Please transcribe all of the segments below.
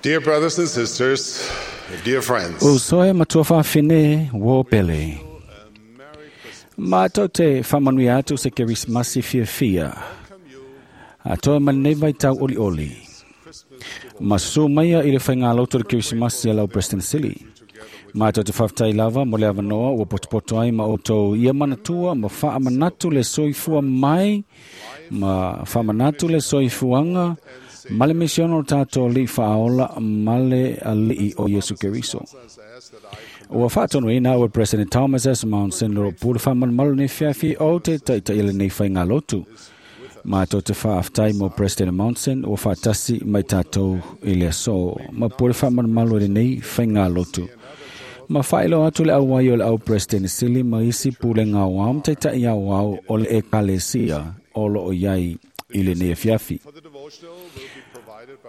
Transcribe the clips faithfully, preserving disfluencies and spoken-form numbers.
Dear brothers and sisters, dear friends, O soe matua whawhine wō pele. Mātou te whamanui atu se Kerismasi whiawhia. A toa manei vai tau oli oli. Masu maia i le whainga loto le Kerismasi a lau Preston Sili. Mātou te whawhtai lava mo le awanoa ua potopoto ai ma o tau ia manatua ma whaamanatu le soifua mai ma whaamanatu le soifuanga ma le misiono tātou li whaaola ma le alii o Yesu Keriso. Ua whaatonu ina ua President Thomas S. Monson loro pule whamanmalu nei fiafi o te taitai ele nei whainga lotu. Mātou te whaaftai mo President Monson ua whaatasi mai tātou i le aso. Ma pule whamanmalu ele nei whainga lotu. Ma whailo atu le auai o le au President Sili ma isi pule ngā wau taitai au au o le ekalesia o lo o iai i le nei fiafi.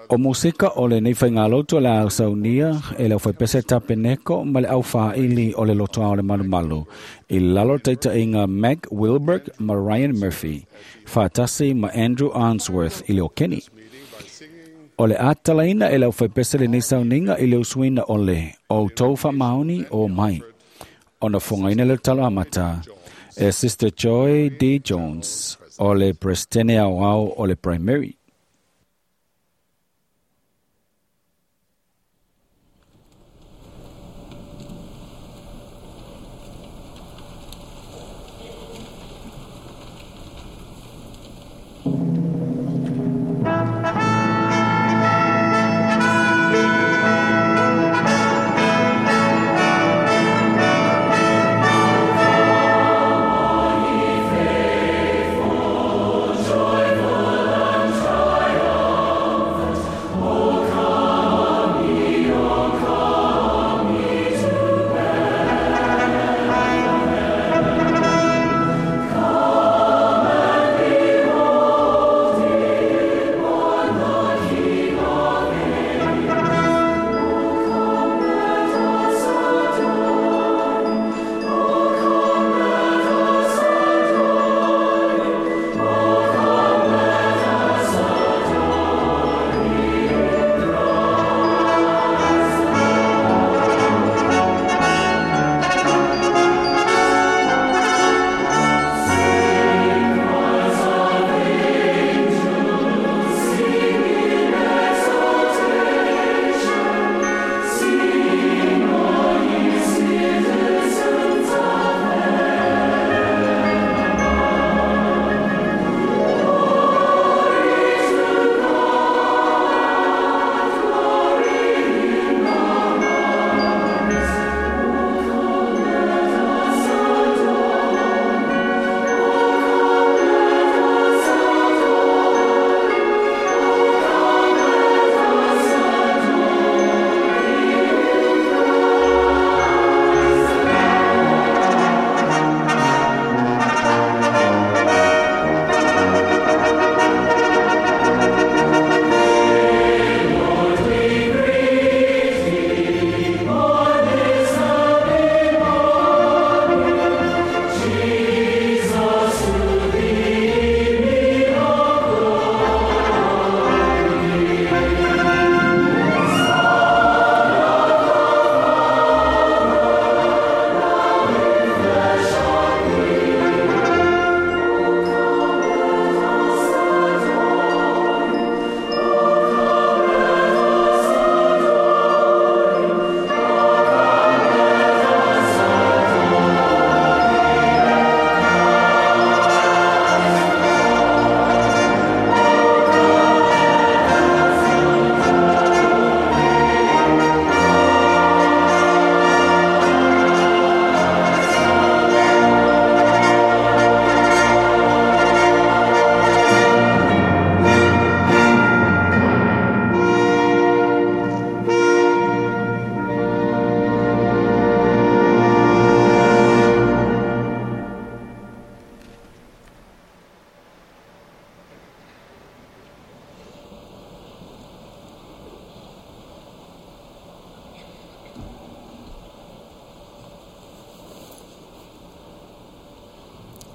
O musika o le nei whaingaloto le au saunia e le au pese tapeneko ma le au whaili o le lotoa o le malumalu. I lalo taita inga Meg Wilberg ma Ryan Murphy, whaatasi ma Andrew Arnsworth i le o Kenny. O le atalaina e le au pese le nei sauninga i le usuina o le o tau maoni o mai. Ona fungaina le talo amata e Sister Joy D. Jones o le Prestene au au o le Primary.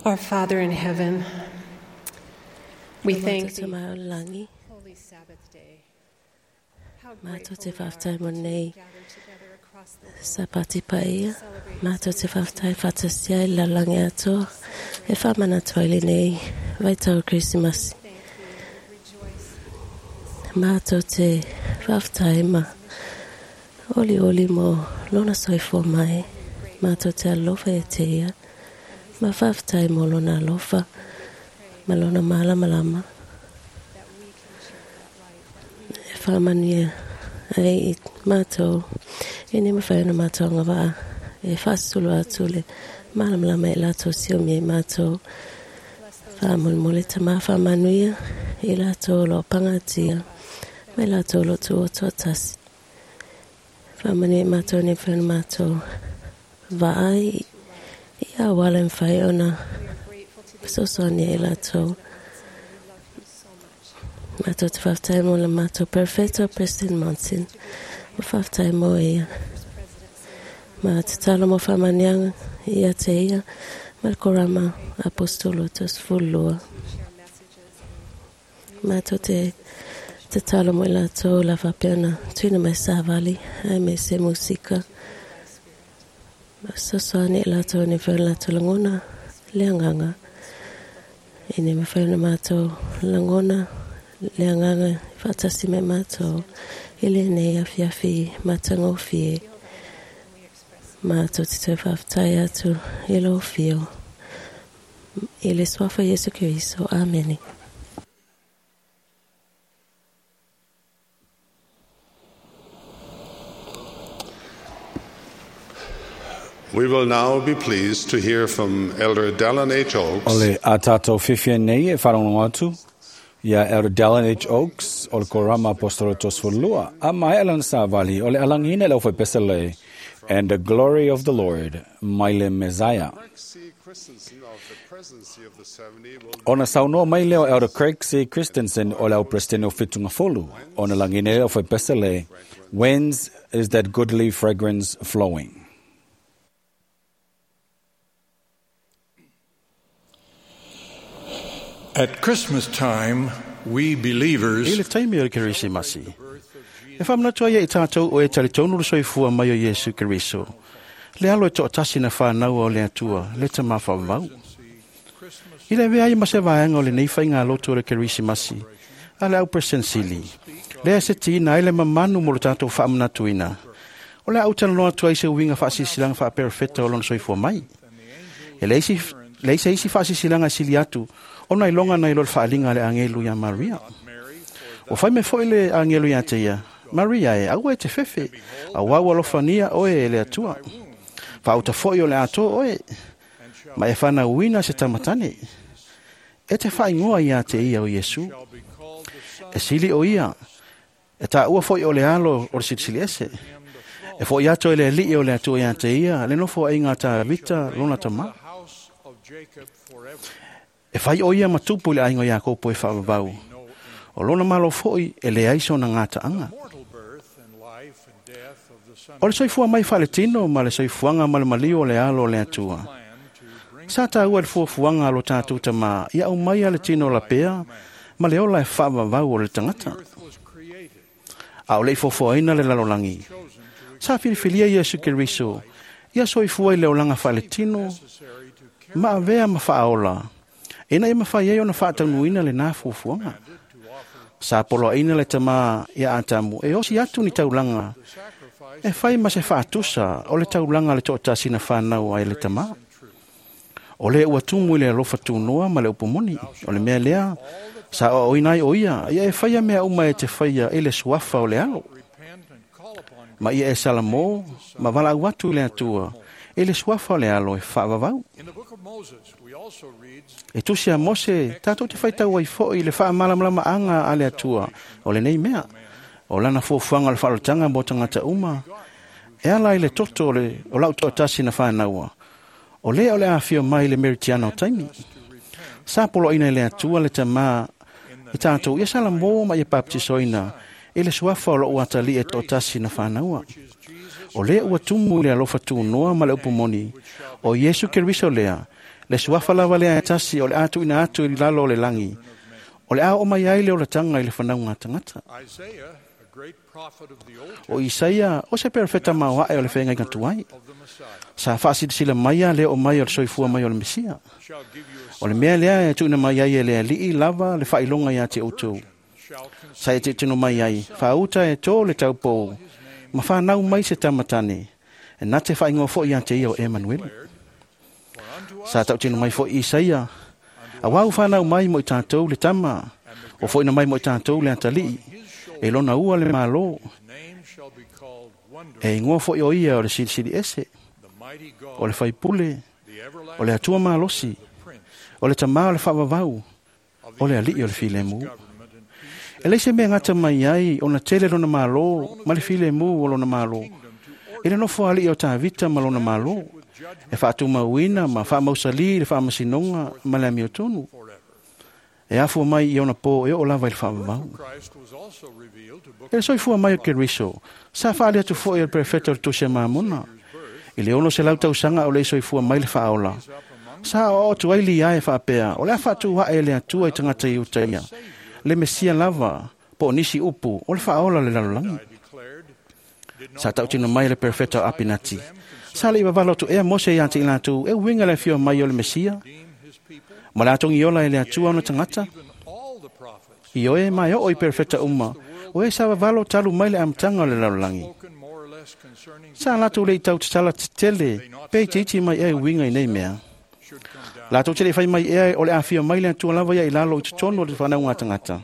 Our Father in heaven, we thank thee Holy Sabbath day. Mātou te whaftai mo nei sapati paia. Mātou te whaftai whatasia i lalangi atoa. E whamana toile nei vaitau Krisimasi. Mātou te whaftai ma oli oli mo lona soifua mai. Mātou te alofa e te ia. Ma whaftai mo lona alofa. Ma lona malamalama. E whamania ai i mātou. E ne mawhai ona mātou anga waa. E whasulu atu le malamalama e lātou siomi e mātou. Whamolmole ta mā whamanuia i lātou lo pangatia. Mai lātou lo tu o tuatasi. Whamania i mātou ne whai ona mātou. Vaai i a wala mwhai ona sosonia i lātou. Mātou te whaftai mo la mātou perfecto President Monson. Ma whaftai mo ia. Ma te talo mo whamanianga ia te ia. Ma korama apostolo tos fulua. Mātou te te talo mo i lātou la whapeana. Tuina mai sāvali ai me se musika. Ma sosoani i lātou ne whio lātou langona le anganga. E ne mawhai ona mātou langona le anganga whatasi me mātou. I le nei awhiawhi matangofie. Mātou te tau whaftai atu i lo whio. I le swafa Yesu Kristo. Amene. We will now be pleased to hear from Elder Dallin H. Oaks. O le a tātou whiwhia nei e wharongo atu ia Elder Dallin H. Oaks o le Korama Apostolo Tosfolua a mai alan sāvali o le alangina lau whaipesa le And the Glory of the Lord mai le Messiah. Ona saunoa mai leo Elder Craig C. Christensen o lau President o Whitunga Folu ona langina lau whaipesa le Whence is that goodly fragrance flowing? At Christmas time, we believers I le taimi o le Kerisimasi. E whamanatua ia i tātou o e talitonu le soifua mai o Iesu Keriso. Le alo e to'atasi na whānaua o le atua, le ta mawhaumau. I le vea i mase vaenga o le nei whainga loto o le Kerisimasi, a le au presensili. Lea se tina ai le mamanu mo le tātou whaamanatuina. O le au tanaloa atua i se uinga whaasisilang whaaperfeta o lona soifua mai. E le isi, le isi isi whaasisilang sili atu, ona i longa nei lo le whaalinga le angelu ia Maria. O whai me foi le angelu ia te ia, Maria e, aua e te fefe, a wau alofania oe e le atua. Whauta foi o le atoa oe, ma e whana uina se tamatane. E te whaingoa ia te ia o Iesu. E sili o ia, e tā ua foi o le alo o le silisili ese. E foi ato e le alii o le atua ia te ia, le nofo ai ngā tā vita lona tama. E whai o ia matupu le aingo ia kopo e whaavavau. O lona malo foi e le aiso na ngā taanga. O le soifua mai whaletino ma le soifuanga ma le malio o le alo o le atua. Sa tā ua le fuafuanga alo tātou tama ia au mai a le tino la pea ma le ola e whaavavau o le tangata. A o le ifofoaina le lalolangi. Sa filifilia Iesu Keriso ia soifua i le olanga whaletino ma avea ma whaaola. Ina e mawhai ai ona whaataunuina le nā fuafuanga. Sa poloaina le tama ia Atamu e osi atu ni taulanga. E whai ma se whaatusa o le taulanga le to'atasi na whanau ai le tama. O le ua tumu i le alofa tūnoa ma le upumoni. O le mea lea, sa o oinai o ia, ia e whaia mea uma e te whaia e le suafa o le alo. Ma ia e Salamo, ma wala au atu i le atua, e le suafa o le alo e whaavavau. E tusi a Mose, tātou te whaitau ai foi le whaamalamalama anga a le atua, o le nei mea, o lana fuafuaga o le faalotanga mo tagata uma, e ala i le toto o le o lau toatasi na whānaua. O lea o le afio mai le meritiana o taimi. Sa poloaina i le atua le tamā i tātou ia salamo ma ia baptisoina e le suafa o lou atalii e toatasi na whānaua. O lea ua tumu i le alofa tunoa ma le upumoni, o Iesu Keriso lea, le suafa lava lea e tasi o le atuina atu i lalo o le langi, o le ao o mai ai le olatanga i le whanau ngā tangata. O Isaia, o se perofeta maoae o le whainga tuai. Sa whaasilisila maia le o mai o le soifua mai o le Mesia. O le mea lea e tuuna mai ai e le alii lava le whailonga ia te outou. Sa e te tino mai ai, whaauta e tō le taupou, ma whanau mai se tamatane, e nā te whaingoa fo ia te ia o Emanuele. Sa tau tino mai fo Isaia, a wau whanau mai mo i tātou le tama, o fo ina mai mo i tātou le atalii, e lona ua le malo, e ingoa fo i o ia o le silisili ese, o le whaipule, o le atua malosi, o le tamā o le whaavavau, o le alii o le filemu. E leise mea ngata mai ai o na tele lona malo, ma le filemu o lona malo. E le nofo alii o Tavita ma lona malo, e whaatumauina ma whaamausali le whaamasinonga ma le amiotonu. E afua mai i ona pō e o lava i le whaavavau. E le soifua mai o Keriso, sa whaale atu foi o le prefeta o le Tosia Mamona. I le ono se lau tausanga o le soifua mai le whaola. Sa o atu ai li ae whaapea, o le a whaatu hae le atua i tangata i utaia. Le Mesia lava, po o nisi upu, o le whaola le lalolangi. Sa tautino mai le perfecto Apinati. Sa le iwawalo tu ea Mose ia te ilatu, e winga le fio mai o le Mesia. Ma le atongi ola e le atua ona tangata. I oe mai o i perfecta uma, o e sa wawalo talu mai le amtanga o le lalolangi. Sa latu le i tau tatala tele, pe te iti mai e winga i nei mea. Lātou te le whai mai ea o le awhia mai le atua lava ia i lalo i te tono o le whanau ngā tangata.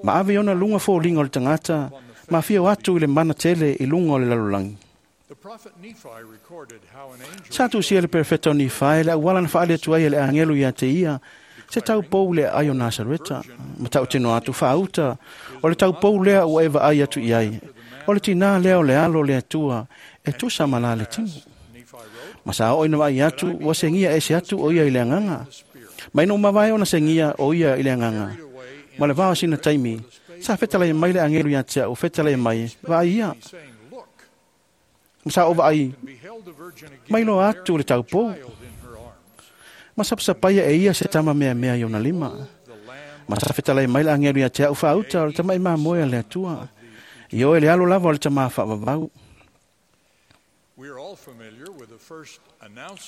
Ma ave ona lunga fōlinga o le tangata, ma whio atu i le mana tele i lunga o le lalolangi. Sa tusia le perfecto ni whae le awala na whaale atu ai le angelo ia te ia, se tau pou le ai o Nasareta, ma tau tino atu whaauta, o le tau pou lea ua eva ai atu i ai, o le tina lea o le alo le atua, e tusa mala le tino. Ma sa o ina vai atu, ua sengia e se atu o ia i le anganga. Mai no mawai ona sengia o ia i le anganga. Ma le vao sina taimi, sa whetalai mai le angelu ia tea o whetalai mai, vai ia. Ma sa o vai, mai no atu le taupou. Ma sapsapaia e ia se tama mea mea i ona lima. Ma sa whetalai mai le angelu ia tea o whaauta o le tama i mamoe le atua. I oe le alo lava o le tama whaavavau.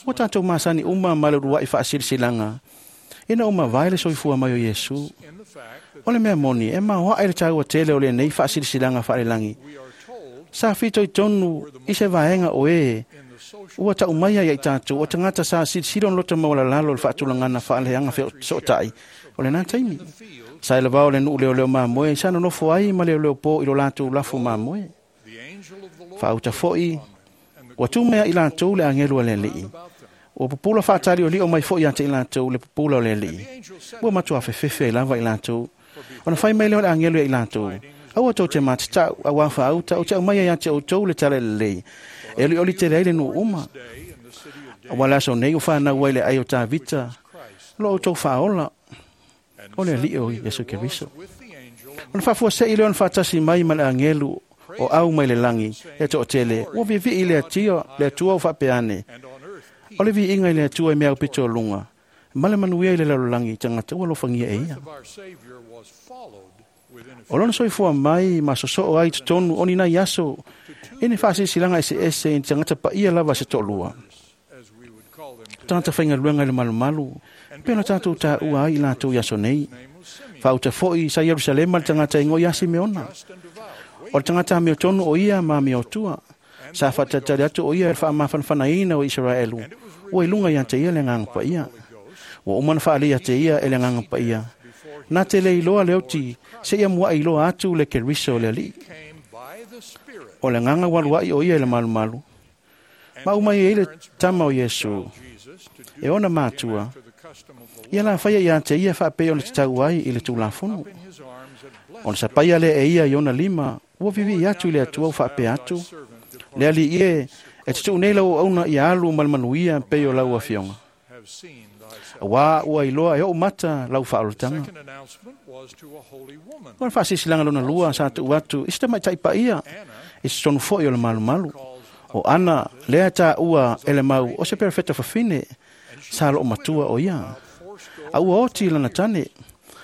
Ua tātou masani uma ma le ruai whaasirisilanga. Ina uma vai le soifua mai o Iesu. O le mea moni, e maoa e le tāua tele o le nei whaasirisilanga whaalelangi. Sa whito i tonu i se vaenga o e. Ua tau mai ai tātou o tangata sa silisilo lota maualalalo le whaatulangana whaaleanga sootai. O le nā taimi. Sa ele vao le nuu leo leo mamoe, sa nonofo ai ma leo leo pō i lo lātou lafo mamoe. Whaauta foi, ua tū mea i lātou le angelu a le alii. Ua pupula whaatari o lio mai foi ia te i lātou le pupula o le alii. Ua matua whewhewhe i lava i lātou. Ona whai mai leo le angelu i lātou. Aua tau te mātatau, aua whaauta, o te au mai ia te outou le tale lelei. E oli oli te leile nu uma. Aua le aso nei o whanau ai le ai o Tavita. Lo outou whaola. O le alii o Yesu Keriso. Ona whaafua se i leo na whaatasi mai ma le angelu o au mai le langi, e to tele, ua vivi i le atua, le atua o whapeane. O le vi inga i le atua e mea upito o lunga. Male manuia i le lalolangi, tangata ua lofangia e ia. O lona soifua mai, ma sosoo ai totonu, oni nai aso, ene whaasirisilanga ese ese, in tangata pa ia lava se to'olua. Tangata whainga luenga i le malumalu, pena tātou tā ua ai i lātou i aso nei. Whaauta foi sa Yerusalema le tangata ingo i a Simeona. O le tangata mea tonu o ia ma mea otua. Sa whatatari atu o ia e whaamafanafanaina o Israelu. Ua i lunga ia te ia le nganga pa ia. Ua umana whaale ia te ia e le nganga pa ia. Nā te le iloa le oti, se ia mua iloa atu le Keriso o le alii. O le nganga waluai o ia i le malumalu. Ma umai e le tama o Yesu. E ona mātua. Ia la whaia ia te ia whaapea o le tatau ai i le tūlafono. O le sapaia le e ia i ona lima, ua vivi i atu i le atua o whaapea atu. Le ali ie, e te tuu nei lau auna i alu malmanuia pe o lau afionga. Wā ua iloa e o mata lau whaolotanga. O le whaasisilaga lona lua sa tuu atu, i se tamaitai paia, i se tonu foi o le malumalu. O ana, lea tā ua ele mau o se perfeta fafine, sa loo matua o ia. A ua oti lana tane,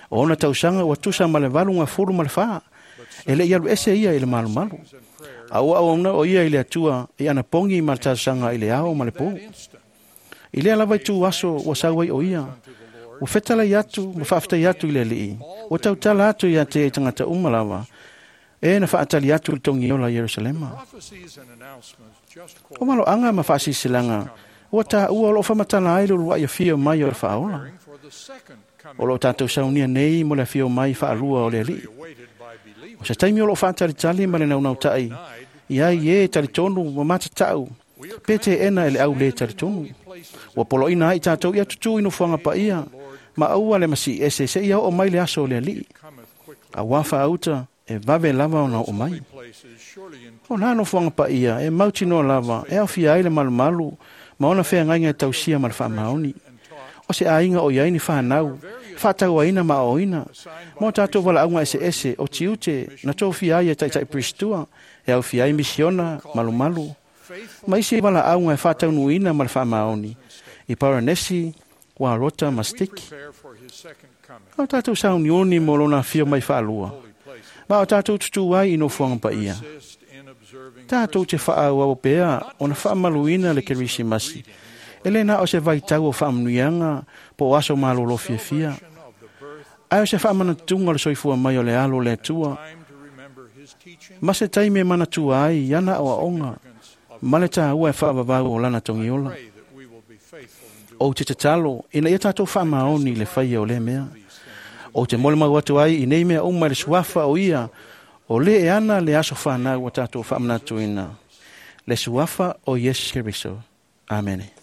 o ona tausaga ua tusa ma le valu gafulu ma le fā. E le i alu ese ia i le malumalu. A ua auauna o ia i le Atua i ana pogi ma le talosaga i le ao ma le pō. I lea lava itu aso ua sau ai o ia, ua fetalai atu ma faafetai atu i le Alii, ua tautala atu ia te ia i tagata uma lava, e na faatali atu i le togiola i Ierusalema. O maloaga ma faasilasila ua taua o loo faamatala ai le uluai afio mai o le Faaola. O loo tatou saunia nei mo le afio mai faalua o le Alii. O se taimi o loo faatalitali ma le naunautai i ai e talitonu ma matatau pe teena e le au le talitonu. Ua poloina ai tatou ia tutu i nofoaga paia ma aua le masii ese seia oo mai le aso o le Alii. Auā faauta e vave lava ona oo mai. O nā nofoaga paia e mautinoa lava e aofia ai le malumalu ma ona feagaiga e tausia ma le faamaoni. O se aiga o i ai ni fanau, faatauaina ma aoaoina, ma o tatou valaauga eseese o tiute na tofia ai e taitai Piristua, e aofia ai misiona, malumalu, ma isi valaauga e faataunuuina ma le faamaoni, i Paranesi, Warota ma Stiki. O tatou sauniuni mo lona afio mai faalua, ma o tatou tutū ai i nofoaga paia. Tatou te faaauau pea ona faamaluina le Kerisimasi, e le na o se vaitau o faamanuiaga po o aso malolo fiafia, ae o se faamanatuga o le soifua mai o le alo o le Atua, ma se taimi e manatua ai i ana aoaoga ma le taua e faavavau o lana togiola. Ou te tatalo ina ia tatou faamaoni i le faia o lea mea. Ou te molimau atu ai i nei mea uma i le suafa o ia, o le e ana le aso fanau ua tatou faamanatuina, le suafa o Iesu Keriso. Amene.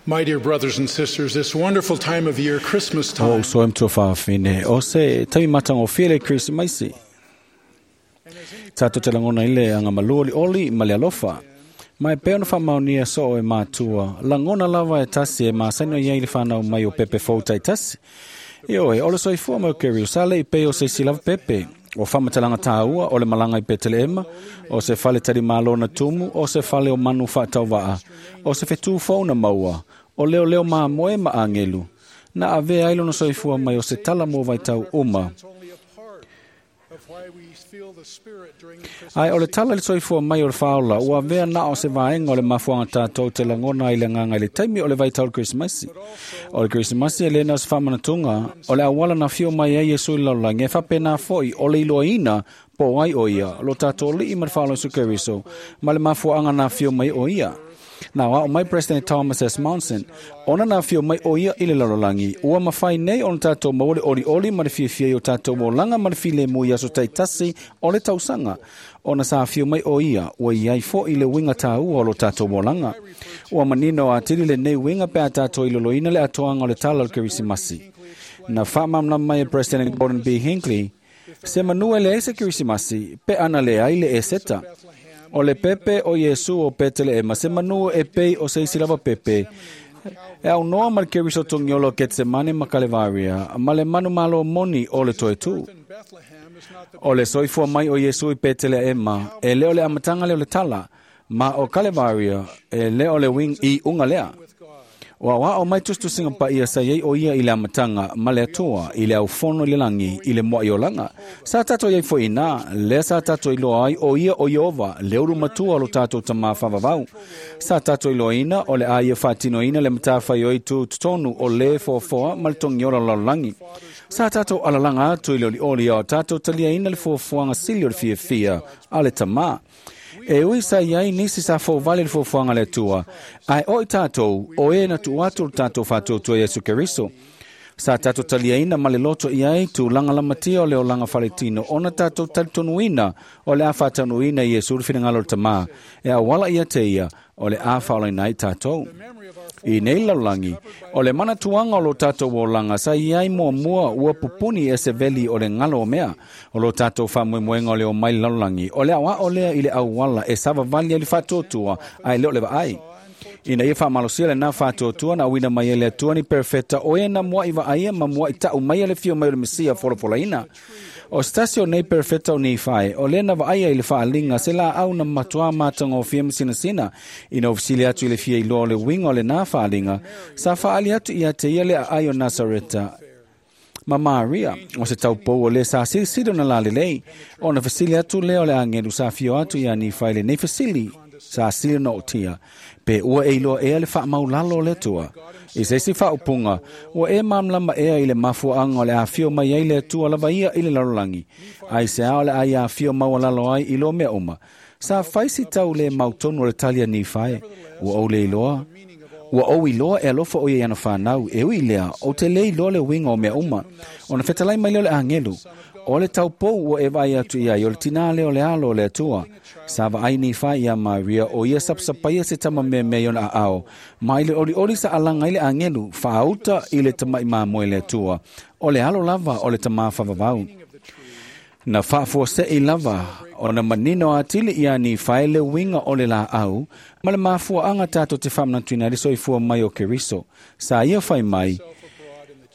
My dear brothers and sisters, this wonderful time of year, Christmas O time, uso e mtua whaafine, o se taimi matangofie le Krisimasi. Tātou te langona i le anga malua li oli ma le alofa. Mai peo na whamaunia so e mātua, langona lava e tasi e māsaino iai le whanau mai o pepe fōtai tasi. Ioe, o le soifua mau keri o sale i peo se si lava pepe. O whamatalanga tāua, o le malanga i Peteleema, o se fale tari mālona tumu, o se fale o manu whaatauwaa, o se whetū fauna maua, o leo leo mā moe ma angelu. Na avea ai lona soifua mai o se tala mō vaitau uma. it's only a part of why we feel the Spirit during the Christmas Ai, o le tala le soifua mai o le whaola, ua avea na o se vaenga o le mafuanga tātou te langona i le nganga i le taimi o le vaitau le Krismasi. O le Krismasi e lena o se whamanatunga, o le awala na whio mai ai Yesu i laulangi, e whapena foi o le iloaina po ai o ia, lo tātou lii ma le whaola Yesu Keriso, ma le mafuanga na whio mai o ia. Nā wao mai President Thomas S. Monson, ona nā whio mai o ia i le lalolagi, ua mawhai nei ona tātou maole oli oli ma le fiafia i o tātou mōlanga ma le file mu i aso taitasi o le tausanga. Ona sa whio mai o ia, ua iai fo i le winga tāua o lo tātou mōlanga. Ua manino a tiri le nei winga pe a tātou i loloina le atoanga o le tala o le Kerisimasi. Na whaamamna mai e President Gordon B. Hinckley, se manua le ese Kerisimasi, pe ana le ai le eseta. O le pepe o Yesu o Petele se manu e pei o seisi lava pepe. E au noa ma le keriso tongiolo Getsemane ma Kalevaria, ma le manu malo moni o le toe tū. in Bethlehem is not the O le soifua mai o Yesu i Petele ema, e leo le amatanga leo le tala, ma o Kalevaria, e leo le wing i unga lea. with God. O awa o mai tustusinga pa ia sa iei o ia i le amatanga, ma le atua, i le aufono i le langi, i le moa i olanga. Sa tātou iei fo ina, lea sa tātou i loa ai o ia o Iova, le uru matua lo tātou tamā whavavau. Sa tātou i loa ina, o le a ia whātino ina le matawhai oi tu tonu o le foafoa ma le tongiola lalolagi. Sa tātou alalanga atu i le oli oli o tātou talia ina le foafoanga sili o le fiafia a le tamā. E ui sa iai nisi sa fōvale le fōfuanga le Atua. Ai o i tātou, o e na tu atu le tātou whātōtua Yesu Keriso. Sa tātou taliaina ma le loto iai tu langa lamatia o le olanga faletino, ona tātou talitonuina o le a whātanuina i Yesu le whinangalo le tamā. E a wala ia te ia o le a whaolaina ai tātou. I nei laulangi, o le mana tuanga o lo tātou o langa, sa iai mua mua ua pupuni e se veli o le ngalo o mea, o lo tātou whamuemuenga o le o mai laulangi, o le awa o lea i le auala e savavali ai le whātōtua, ai leo le vaai. Ina ia whamalosia le nā whātōtua na wina mai e le atua ni perfeta o e na mua i vaaia ma mua i tau mai a le fio mai o le Mesia folafolaina. O stasio nei perfeta o nei whae, o lena vaaia i le whaalinga se la au na matua mātanga o fia masina ina ofisili atu i le fia i loa o le winga o le nā whaalinga, sa whaali atu i a te ia le aai o Nazareta. Ma Maria, o se taupou o le sa silisili o na lalelei, o na fasili atu lea o le angelu sa fio atu i a ni whaile nei fasili, sa sili na o tia, pe ua e iloa ea le whaamaulalo o le atua. I se isi whaopunga, ua e mamlama ea i le mafuaanga o le awhio mai ai le atua lava ia i le lalolangi. Ai se ao le ai awhio maualalo ai i lo mea uma. Sa whaisi tau le mautonu o le talia ni whae, ua au le iloa. Ua au iloa e alofa o ia ana whanau, e ui lea, o te le iloa le winga o mea uma. O na whetalai mai leo le angelu, o le taupou ua e vai atu ia i o le tinā leo le alo o le atua. Sa vaai ni whai ia Maria o ia sapsapaia se tama mea mea iona a ao. Ma i le oli oli sa alanga i le angelu, whaauta i le tamai māmoe le atua. O le alo lava o le tamā whavavau. Na whaafua i lava, o na manino atili ia ni whae le winga o le la au, ma le mafua anga tātou te whamnatuina le soifua mai o Keriso. Sa ia whai mai,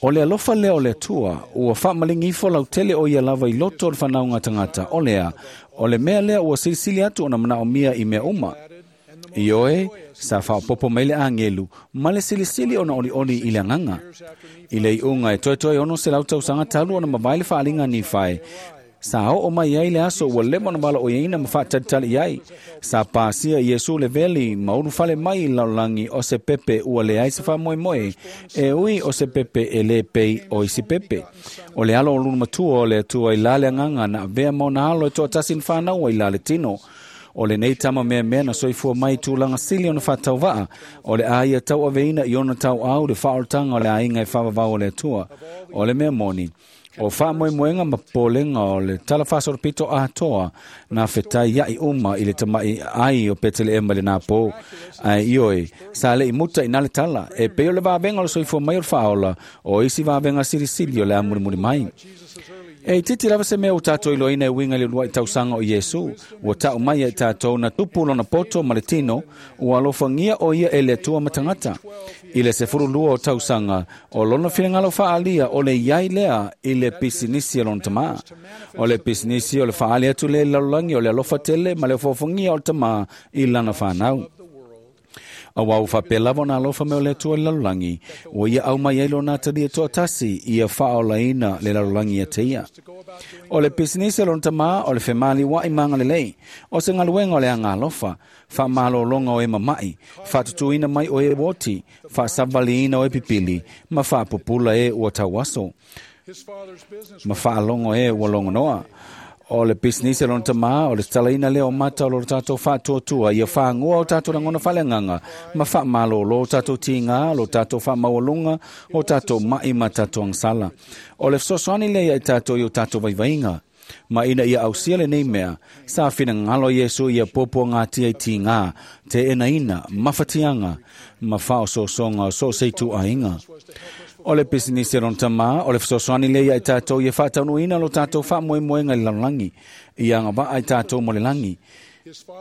o le alofa lea o le atua, ua whaamalingi ifo lautele o ia lava i loto o le whanaunga tangata, o lea, o le mea lea ua silisili atu o na manao mia i mea uma. Ioe, sa whaopopo mai le angelu, ma le silisili o na oli oli i le anganga. I le iunga e toe toe ono se lautau sanga talu o na mawai le whaalinga ni whae. Sa o mai ai le aso ua lema na wala o iaina ma whaatalitali ai. Sa pāsia Yesu le veli mauru fale mai i laulangi o se pepe ua le ai se whamoemoe. E ui o se pepe e le pei o isi pepe. O le alo o luna matua o le atua i lale anganga na avea mauna alo e toa tasin whanau i lale tino. O le nei tama mea mea na soifua mai tūlanga sili ona whātauvaa. O le aia tau aveina i ona tau au le whaoltanga o le ainga e whavavau o le atua. O le mea moni. O faamoemoega ma popolega o le tala faasolopito atoa na fetai ai uma i le tama'i ai o Peteleema i lenā pō. Ae ioe, sa le'i muta i na le tala, e pei o le vavega o le soifua mai o le faaola, o isi vavega silisili o le a mulimuli mai. E titi lava se mea o tātou iloina e uiga i le ulua'i tausaga o Iesu, ua ta'u mai ai tātou na tupu lona poto ma le tino, ua alofagia o ia e le Atua ma tagata. I le sefululua o tausaga, o lona finagalo faaalia o le iai lea i le pisinisi a lona tamā. O le pisinisi o le faaali atu lea i le lalolagi o le alofa tele ma le ofoofogia o le tamā i lana fanau. Auā ua faapea lava ona alofa mai o le Atua i le lalolagi, ua ia aumai ai lona atalia toatasi ia faaolaina le lalolagi ia te ia. O le pisinisi a lona tamā o le femaliua'i ma agalelei, o se galuega o le agalofa, faamalōloga o e mama'i, faatutuina mai o e uoti, faasavaliina o e pipili, ma faapupula e ua tauaso, ma faalogo e ua logonoa. O le pisinisi a lona tamā, o le tatalaina lea o mata o lo tatou faatuatua, ia fāgoa o tatou lagona faaleagaga, ma faamalōlō o tatou tigā, lo tatou faamaualuga, o tatou ma'i ma tatou agasala. O le fesoasoani lea ia i tatou i o tatou vaivaiga. Ma ina ia ausia lenei mea, sa finagalo Iesu ia puapuagatia i tigā, teenaina, mafatiaga, ma faaosoosoga o so o se ituaiga. O le pisinisi a lona tamā, o le fesoasoani lea ia i tatou ia faataunuuina lo tatou faamoemoega i le lalolagi, ia agavaa i tatou mo le lagi,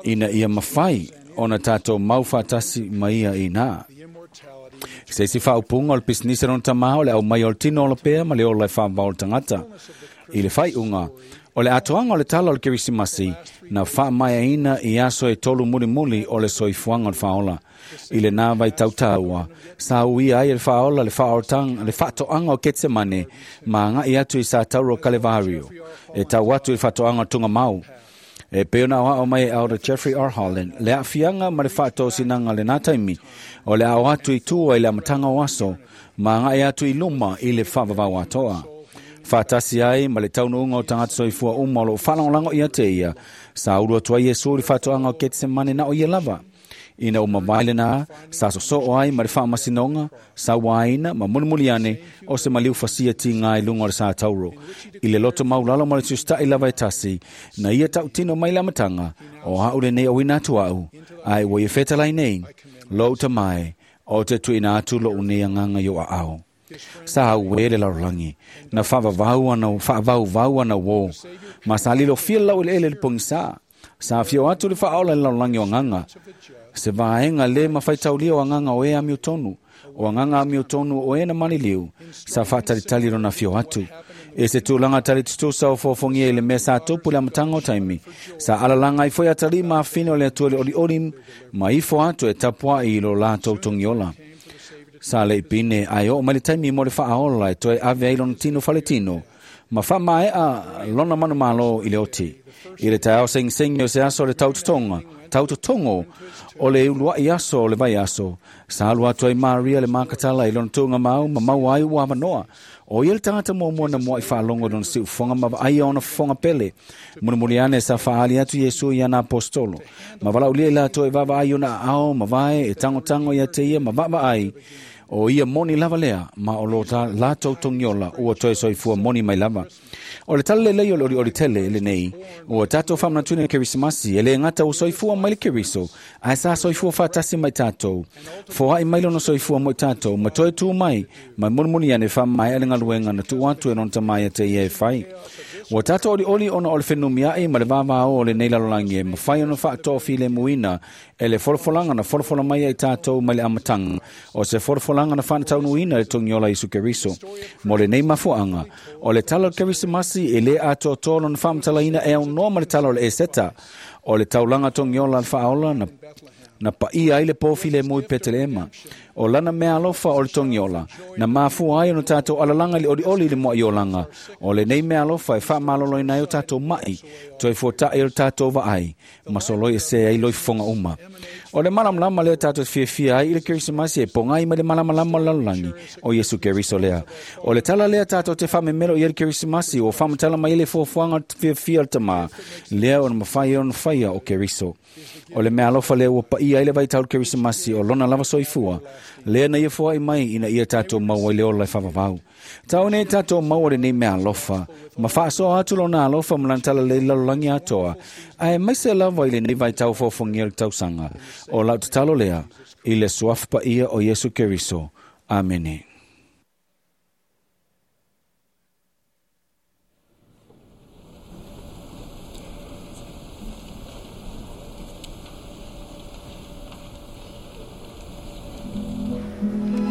ina ia mafai ona tatou mau faatasi ma ia inā. Se isi faaupuga o le pisinisi a lona tamā, o le aumai o le tino ola pea ma le ola e faavavao le tagata. I le faaiuga, o le atoaga o le tala o le Kerisimasi, na faamaeaina i aso e tolu mulimuli o le soifuaga o le faaola. I lenā vaitautaua, sa uia ai e le faaola le faaolataga le faatoaga o Ketsemane ma aga'i atu i satauro o Kalevario, e tau atu i le faatoaga o Tugamau. E pei ona aoao mai e Elder Jeffrey R. Holland, le aafiaga ma le faatosinaga lenā taimi, o le ao atu i tua i le amataga o aso, ma aga'i atu i luma i le faavavau atoa. Faatasi ai ma le taunuuga o tagata soifua uma o loo faalagolago ia te ia, sa ulu atu ai Iesu i le faatoaga o Ketsemane na o ia lava. Ina ua mavae lenā, sa sosoo ai ma le faamasinoga, sauaina ma mulimuli ane o se maliu fasia tigā i luga o le satauro. I le loto maulalo ma le tusita'i lava e tasi, na ia tautino mai le amataga, o a'u lenei auina atu a'u, ae ua ia fetalai nei, lou tamā e, o te tuuina atu lo'u nei agaga i o aao. Sa auē le lalolagi, na faavavau ana faavauvau ana uō, ma sa lilofia le laueleele i le pogisā. Sa afio atu le faaola i le lalolagi o agaga, se vaega lē mafaitaulia o agaga o e amiotonu, o agaga amiotonu o e na maliliu, sa faatalitali lona afio atu. E se tulaga talitutusa o foofogia i le mea sa tupu i le amataga o taimi, sa alalaga ai foi atalii ma afine o le Atua i le olioli ma ifo atu e tapua'i i lo latou togiola. Sa le'i pine ae oo mai le taimi mo le faaola e toe ave ai lona tino faletino, ma faamae'a lona manumalo i le oti. I le taeao segisegi o se aso o le tautotoga, tautotogo o le ulua'i aso o le vaiaso, sa alu atu ai Maria le Makatala i lona tuugamau ma maua ai ua avanoa. O ia le tagata muamua na mua'i faalogo i lona siufofoga ma vaaia ona fofoga pele. Mulimuli ane sa faaali atu Iesu i ana aposetolo, ma valaaulia i latou e vaavaai i ona aao ma vae e tagotago ia te ia ma vaavaai. O ia moni lava lea, ma o lo latou togiola ua toe soifua moni mai lava. O le tala lelei o le olioli tele lenei, ua tatou faamanatuina i le Kerisimasi, e lē gata ua soifua mai le Keriso, ae sa soifua faatasi mai tatou. Foa'i mai lona soifua mo i tatou, ma toe tū mai, ma mulimuli ane faamaea le galuega na tuu atu e lona tamā ia te ia e fai. Ua tatou olioli ona o le fenumia'i ma le vāvāō o lenei lalolagi e mafai ona faatoafilemuina e le folafolaga na folafola mai ai tatou mai le amataga, o se folafolaga na faanataunuuina e le togiola Iesu Keriso. Mo lenei mafuaaga, o le tala o le Kerisimasi e lē atoatoa lona faamatalaina e aunoa ma le tala o le Eseta, o le taulaga togiola a le faaola na na paia ai le pō filemu i Peteleema. O lana mea alofa o le togiola, na mafua ai ona tatou alalaga i le olioli i le moa'iolaga. O lenei mea alofa e faamaloloina ai o tatou ma'i, toe fuata'i o le tatou vaai, ma soloi ese ai loifofoga uma. O le malamalama lea tatou te fiafia ai i le Kerisimasi e pogai mai le malamalama o le lalolagi, o Iesu Keriso lea. O le tala lea tatou te faamemelo i ai le Kerisimasi, ua faamatala mai ai le fuafuaga o le fiafia o le tamā, lea ona mafai ai ona faia o Keriso. O le mea alofa lea ua paia paia ai le vaitau o le Kerisimasi o lona lava soifua, lea na ia foai mai ina ia tatou maua i le ola e faavavau. Tau nei tatou maua lenei mea alofa, ma faasoa atu lona alofa ma lana talalelei i le lalolagi atoa, ae maise lava i lenei vaitau fofogia o le tausaga. O lau tatalo lea, i le suafa paia o Iesu Keriso. Amene. Thank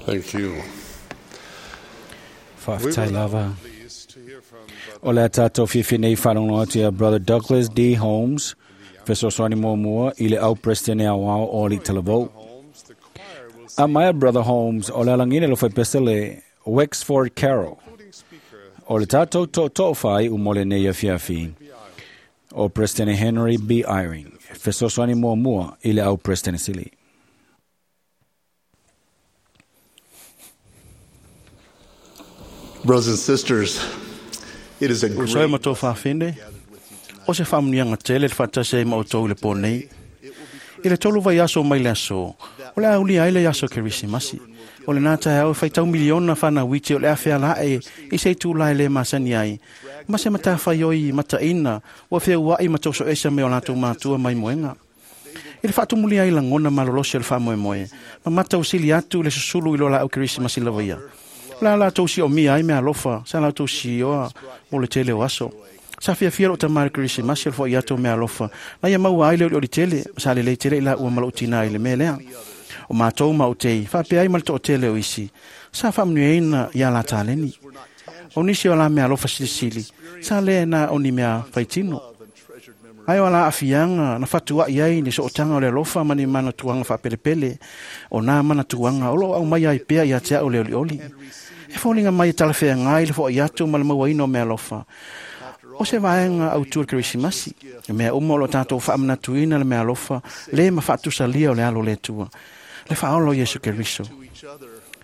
Thank you. Faafetai lava. O le a tātou fiafia nei whanongo atu ia Brother Douglas D. Holmes, fesoasoani muamua i le au presidente awao o li talavou. A mai Brother Holmes, o le alangine lo whaipesa le Wexford Carroll. O le tātou tō whai umole nei a fiafi. O President Henry B. Eyring, fesoasoani muamua i le au presidente sili. Brothers and sisters, it is a O soe great ma tō whawhine, o se whamunianga tele le whatase ma o tō le pōnei. I le tolu vai aso mai le aso, o le aulia ai le aso Kerisimasi. O le nā tae au whai tau miliona whana witi o le awhea la e i se tū lai le masani ai. Ma se mata whai oi mata ina, wa whia uai ma tōso esa me o lātou mātua mai moenga. I le whaatumuli ai langona malolosi o le whaamoemoe, ma mata usili atu le susulu i lo la au Kerisimasi lava ia. La la tau si o mia ai mea alofa, sa la tau si oa mo le tele o aso. Sa fia fia lo tamari Kerisimasi o le fo i ato mea alofa. Na ia maua ai le o le tele, sa le le tele i la ua malo tina i le mea lea. O mātou ma o tei, whapea ai ma le to o tele o isi. Sa whaamnueina ia la tāleni. O nisi o la mea alofa silisili, sa le na o ni mea whaitino. Ai o la afianga, na whatua i ai ni sootanga o le alofa mani mana tuanga whapelepele, o nā mana tuanga, o lo au mai ai pea i a tea o le oli oli. E fōlinga mai e talawhea ngai le fo i atu ma le maua ino mea alofa. O se vaenga au tua Kerisimasi, e mea uma o lo tātou whaamanatuina le mea alofa, le ma whaatusalia o le alo le tua. Le whaolo Yesu Keriso.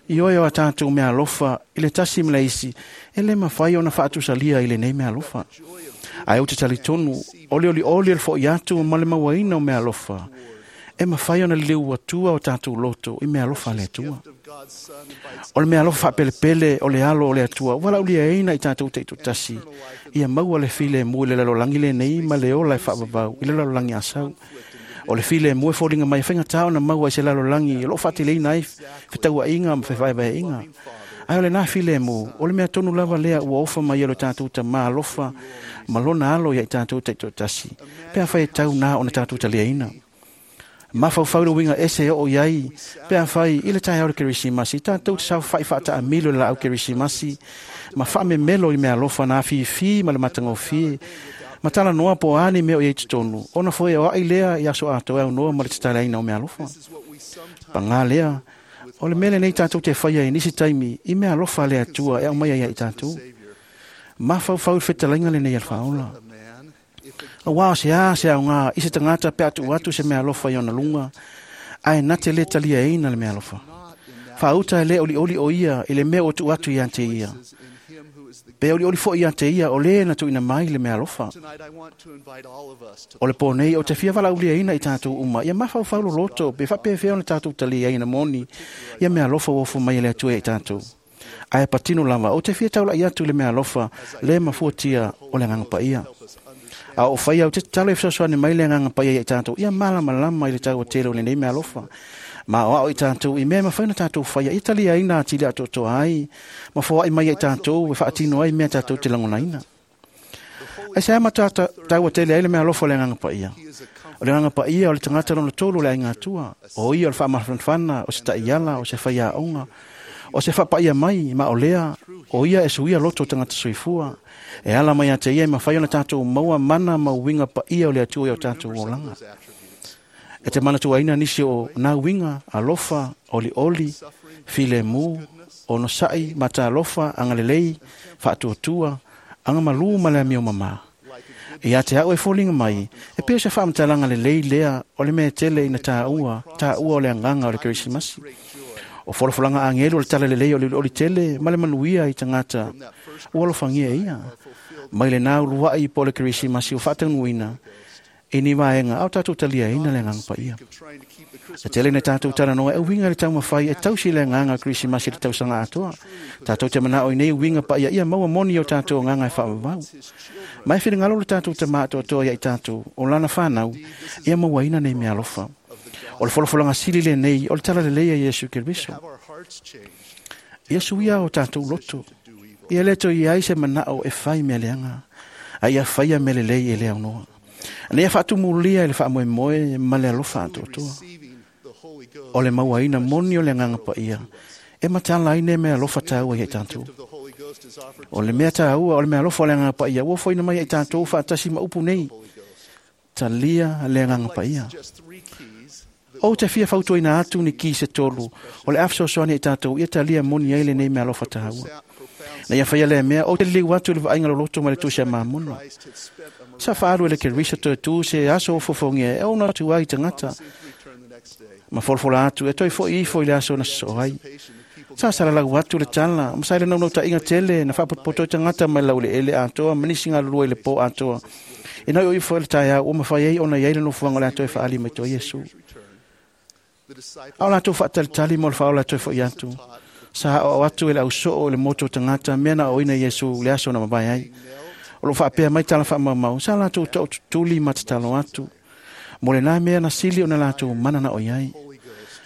I oe o a tātou mea alofa, i le tasi me le isi, e le mawhai o na whaatusalia i le nei mea alofa. Ai o te talitonu, ole oli oli el fo i atu ma le mauaina o mea alofa. E mawhai o na leu atua o tātou loto i mea alofa le atua. O le mea alofa whapelepele o le alo o le atua, wala uli eina i tātou te ito tasi. Ia maua le file mu i le lalolangi le nei ma le ola e whaavavau i le lalolangi asau. O le file mu e fōringa mai whainga tāo na maua i se lalolangi, o lo whaateleina ai whitaua inga ma whaiwhaiwai inga. Ai o le nā file mu, o le mea tonu lava lea ua ofa mai e lo tātou ta mā alofa, ma lona alo ia i tātou te ito tasi. Pea whai e tau nā o na tātou ta leaina. Mawhau le winga ese o iai, pea whai i le tai au le Kerisimasi, tātou te sau whai whaata a milo le la au Kerisimasi, ma whaame melo i mea alofa nā whiwhi ma le matangofie, ma tala noa po ani mea o iei tonu, ona foe o ai lea i aso atoa au noa ma le tatalaina o mea alofa. Pangā lea, o le mele nei tātou te whaia i nisi taimi, i mea alofa le atua e au mai ai i tātou. Mawhau le whetalainga le nei alwhaola. A wā se a se au ngā, i se tangata pe atu atu se mea alofa i ona lunga, ai na te le talia eina le mea alofa. Whauta e le oli oli o ia, i le mea o tu atu i ante ia. Pe oli oli fo i ante ia, o le na tuina mai le mea alofa. O le pōnei o te fia wala uli eina i tātou uma, ia mawhau whaulo loto, pe whapea whea ona tātou talia eina moni, ia mea alofa wofo mai le atua i tātou. Ai patino lava, o te fia taula i atu le mea alofa, le mafuatia o le nganga paia. A o whai au te talo e fesoasoani mai le nganga paia i tātou, ia malama lama i le tau o tele o le nei mea alofa. Ma o ao i tātou, i mea mawhai na tātou whaia, i tali ai nā tili atoatoa ai, ma whoai mai i tātou, e whaatino ai mea tātou te langonaina. Ai se ama tau o tele ai le mea alofa o le nganga paia. O le nganga paia o le tangata lona tolu le ai ngā tua, o ia o le whaamawhanwhana, o se taiala, o se whaia aonga, o se whapaia mai, ma o lea, o ia e suia loto tangata soifua. E ala mai a te ia e mawhai ona tātou maua mana ma winga pa ia o le atua i o tātou olanga. E te mana tuaina nisi o nā winga, alofa, oli oli, file mu, o no sai, mata alofa, angalelei, whaatuatua, anga malu ma le amio mama. I a te au e fōlinga mai, e pēo se whaamatalanga le lei lea o le mea tele ina tā ua, tā ua o le anganga o le Kerisimasi. O folafolanga angelo le tala lelei o le oli tele, ma le manuia i tangata, ua alofangia ia. Mai le nā uluai po le Kerisimasi o whaatanuina, e ni vaenga, au tātou talia ina le nganga paia. E tele na tātou tala noa, e winga le taumawhai, e tausi le nganga Kerisimasi le tausanga atoa. Tātou te mana oi nei winga paia, ia maua moni o tātou nganga e whaavavau. Mai whiringalo le tātou te mātoatoa ia i tātou, o lana whanau, ia maua ina nei mea alofa. O le folafolanga sili le nei, o le tala le leia Yesu Keriso. Ia suia o tātou loto. Ia leto i ai se manao e whai mea leanga. A ia whaia mea le lei e lea noa. Ana ia whaatumulia i le whaamoemoe ma le alofa atoatoa. O le mauaina moni o le nganga paia. E matala ai ne mea alofa tāua ia i tātou. O le mea tāua, o le mea alofa o le agaga paia, ua foina mai ia i tātou whaatasi ma upu nei. Talia le agaga paia. O te fia fautuaina atu ni ki se tolu, o le afesoasoani i tātou, ia talia moni ai le nei mea alofa tāua. Na ia whaia lea mea, o te liu atu le vaaiga loloto ma le tusi a mamona. Sa whaalu ele ke risa toe tu se aso o fofongia, e ona atu ai tangata. Ma folafola atu, e toi fo ifo i le aso na so ai. Sa salalau atu le tala, ma sa ile naunau ta inga tele, na whaapotopoto i tangata mai lau le ele atoa, manisi ngā lulua i le po atoa. E nai o ifo ele taia, o mawhai ei ona iai le nofuanga le atoa e whaali mai toa Yesu. Au latou whaatalitali mo le whaola atoa e fo i atu. Sa o atu ele au soo le moto tangata, mea na oina Yesu le aso na mabai ai. O lo whaapea mai tala whaamau, sa latou tau tutuli matatalo atu. Mo le nā mea na sili o na latou mana na oi ai.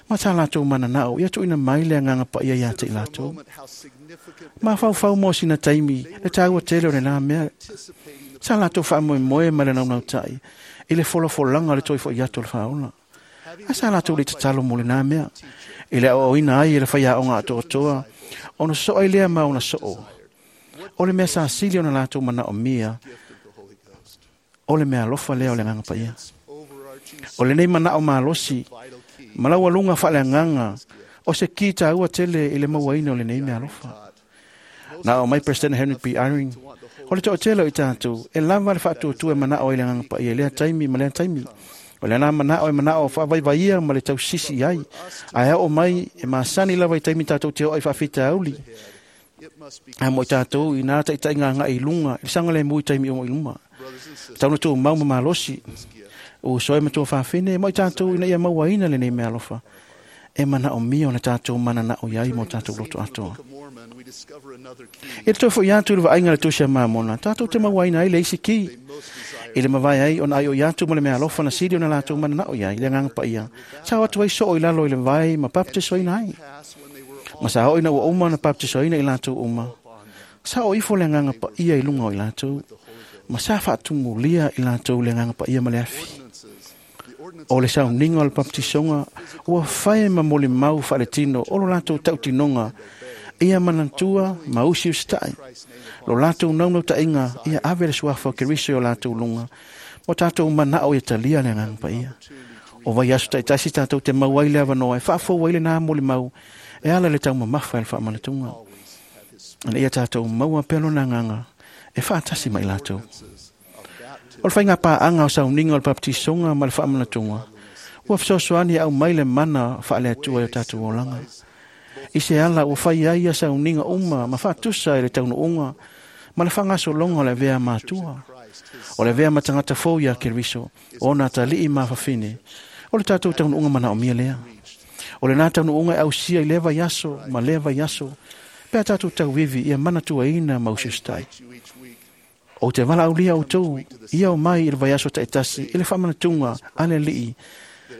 Ma tā latou mana na o, ia tuina mai le anganga pa ia ia te i latou. Ma whau whau mo sina taimi, le tāua tele o le nā mea. Sa latou whaamoe moe ma le naunau tai, i le folafolanga le toi fo i atu le whaola. A sa latou le tatalo mo le nā mea. I le o ina ai e le whaia o ngā atoa, ona so ai lea ma ona soo. O le mea sa sili ona latou mana o mia, o le mea alofa lea o le nganga paia. O le nei mana o malosi, malaua lunga whaale nganga, o se ki tāua tele i le mauaina o le nei mea alofa. Na o mai President Henry B. Eyring, o le to'atele o i tātou, e lava le whaatuatua e mana o i le nganga paia, lea taimi ma lea taimi. O le ana mana o e mana o whaavaivaia ma le tausisi ai. Ae o mai e masani lava i taimi tātou te o ai whaawhita auli. A mo i tātou i nā taitai ngā ngā i lunga, i sanga le mui taimi o mo i luma. Tauna tō mau ma malosi, o soe matua whawhine, mo i tātou ina ia mauaina le nei mea alofa. E mana o mia o na tātou mana na o iai mo tātou loto atoa. E te tō i atu le vaaiga le tusi a mamona, tātou te mauaina ai le isi ki. I le mawai ai, ona ai o i atu mo le mea alofa na sili o na lātou mana na o iai, le nganga pa ia. Sa o atu ai so o i lalo i le vai ma baptisoina ai. Ma sa o ina ua uma na baptisoina i lātou uma. Sa o ifo le nganga pa ia i lunga o i lātou. Ma sa whaatumulia i lātou le nganga pa ia ma le afi. O le sauninga o le baptisonga, ua whae ma mole mau whaale tino, o lo lātou tautinonga, ia manantua ma usi ustai. Lo lātou naunau tainga, ia ave le suafa o Keriso o lātou lunga. Mo tātou manao ia talia le nganga pa ia. O vai aso taitasi tātou te mau ai le awanoa, e whaafou ai le nā mole mau, e ala le tau mamafa e le whaamanatunga. Ana ia tātou maua pelo nā nganga, e whaatasi mai lātou. O le whainga pāanga o sauninga o le baptisonga ma le whaamanatunga. Ua fesoasoani au mai le mana whaale atua i o tātou olanga. I se ala ua whai ai a sauninga uma ma whaatusa i le taunuunga ma le whangasolonga o le vea mātua. O le vea matangata fou ia Keriso, o nā talii ma whawhine. O le tātou taunuunga mana o mia lea. O le nā taunuunga e ausia i leva iaso ma leva iaso. Pea tātou tauivi ia mana tuaina ma usustai. O te wala aulia o tau, ia o mai i le vaiaso taitasi, i le whamanatunga, ale lii,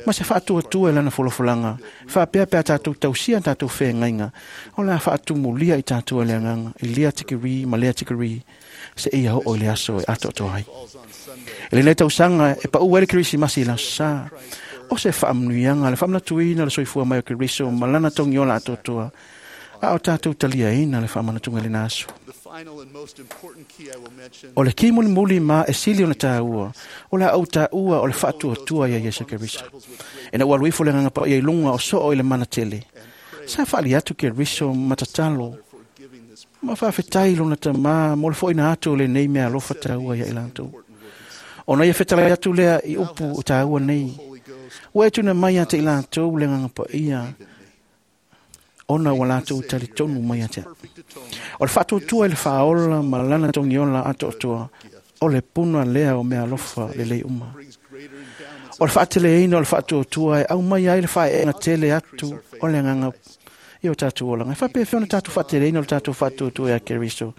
ma se whaatua tua e lana folafolanga, whaapea pea tātou tausia tātou whengainga, o la whaatumulia i tātou le anganga, i lea tikiri ma lea tikiri, se ia ho o le aso e ato ato ai. E le nei tausanga, e pa ua ele Kerisimasi i la sa, o se whaamnuianga, le whaamnatuina le soifua mai o Keriso, ma lana tongi ola ato atoa, a o tātou talia ina le whaamanatunga le naso. O le ki muli muli ma e sili o na tāua, o la au tāua o le whaatua tua ia Yesu Keriso. E na ua luifo le nganga pa ia i lunga o soo i le mana tele. Sa whaali atu Keriso matatalo, ma whaafetai lona tamā, mo le foina atu le nei mea alofa tāua ia i lātou. O na ia whetala atu lea i upu o tāua nei. Ua e tuna mai ate i lātou le nganga pa ia, ona ua lātou tali tonu mai atea. O le whaatuatua i le whaola ma lana tongiola atoatoa, o le puna lea o mea alofa le lei uma. O le whaateleina o le whaatuatua e au mai ai le whaeenga tele atu o le nganga i o tātou olanga. E whapea whiona tātou whaateleina o le tātou whaatuatua e a Keriso.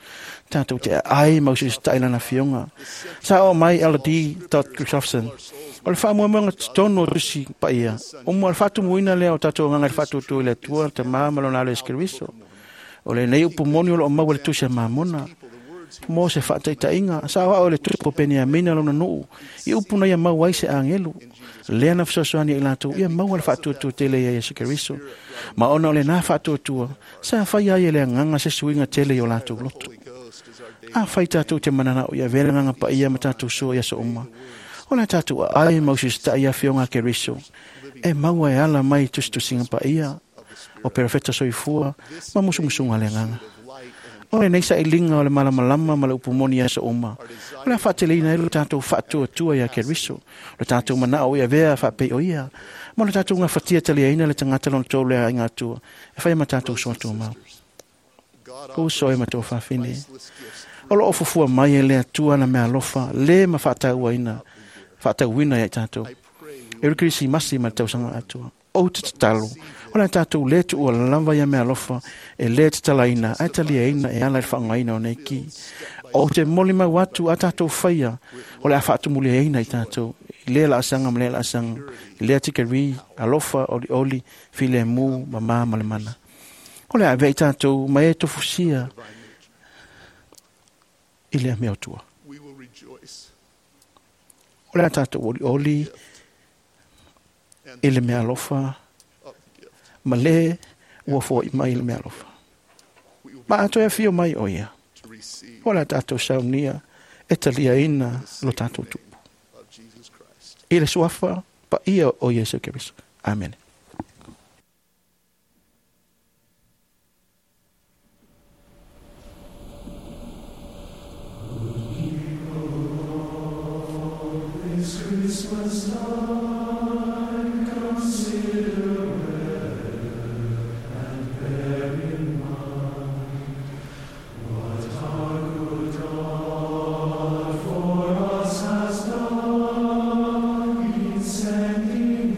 Tātou te ai mausi lana fionga. Sa o mai L D dot Christofferson. O le whaamuamuanga tono rusi paia. O mua le whaatumuina lea o tātou nganga i le whaatuatua i le atua, te maa malona alo e Keriso. O le nei upu moni o lo o maua le tusi a mamona. Mo se faataitaiga sa aoao le tupu o Peniamina lona nuu i upu na ia mau ai se agelu lea na fesoasoani ai latou ia maua le faatuatua tele ia Iesu Keriso. Ma ona o lenā faatuatua sa faia ai e le agaga se suiga tele i o latou loto. Afai tatou te mananao ia avea le agaga paia ma tatou sua i aso uma, o le tatou aai ma usisitaʻi afioga a Keriso e maua e ala mai tusitusiga paia o perofeta soifua ma musumusuga le agaga. O lenei sailiga o le malamalama ma le upu moni i aso uma, o le a faateleina ai lo tatou faatuatua ia Keriso, lo tatou manao i avea faapei o ia, ma lo tatou gafatia taliaina le tagata lona tolu le aiga atua e faia ma tatou soa tumau. Uso e ma tō fafine, o loo fufua mai e le Atua na mea alofa, le ma faatauaina, faatauina ia i tātou. E uri Kerisimasi ma le tausaga atua. O te tatalo, o le tātou le tuua lava ia mea alofa, e le tatalaina, ae taliaina e ala i le faaaogaina o nei ki. O te moli mau atu a tātou faia, o le a faatumuliaina i tātou, i lea laasaga ma lea laasaga, i lea tikeri, alofa, olioli, filemu, mamā ma le mana. O le a avea i tātou ma e tofusia i lea mea o tua. We will rejoice O le a tātou olioli and i le mea alofa, of the gift. ma le ua foai mai i le mea alofa. We will Ma atoe afio mai o ia. be to receive O le a tātou saunia e taliaina lo tātou tupu. of Jesus Christ. I le suafa paia o Iesu Keriso. Amen. This Christmas time, consider well and bear in mind what our good God for us has done in sending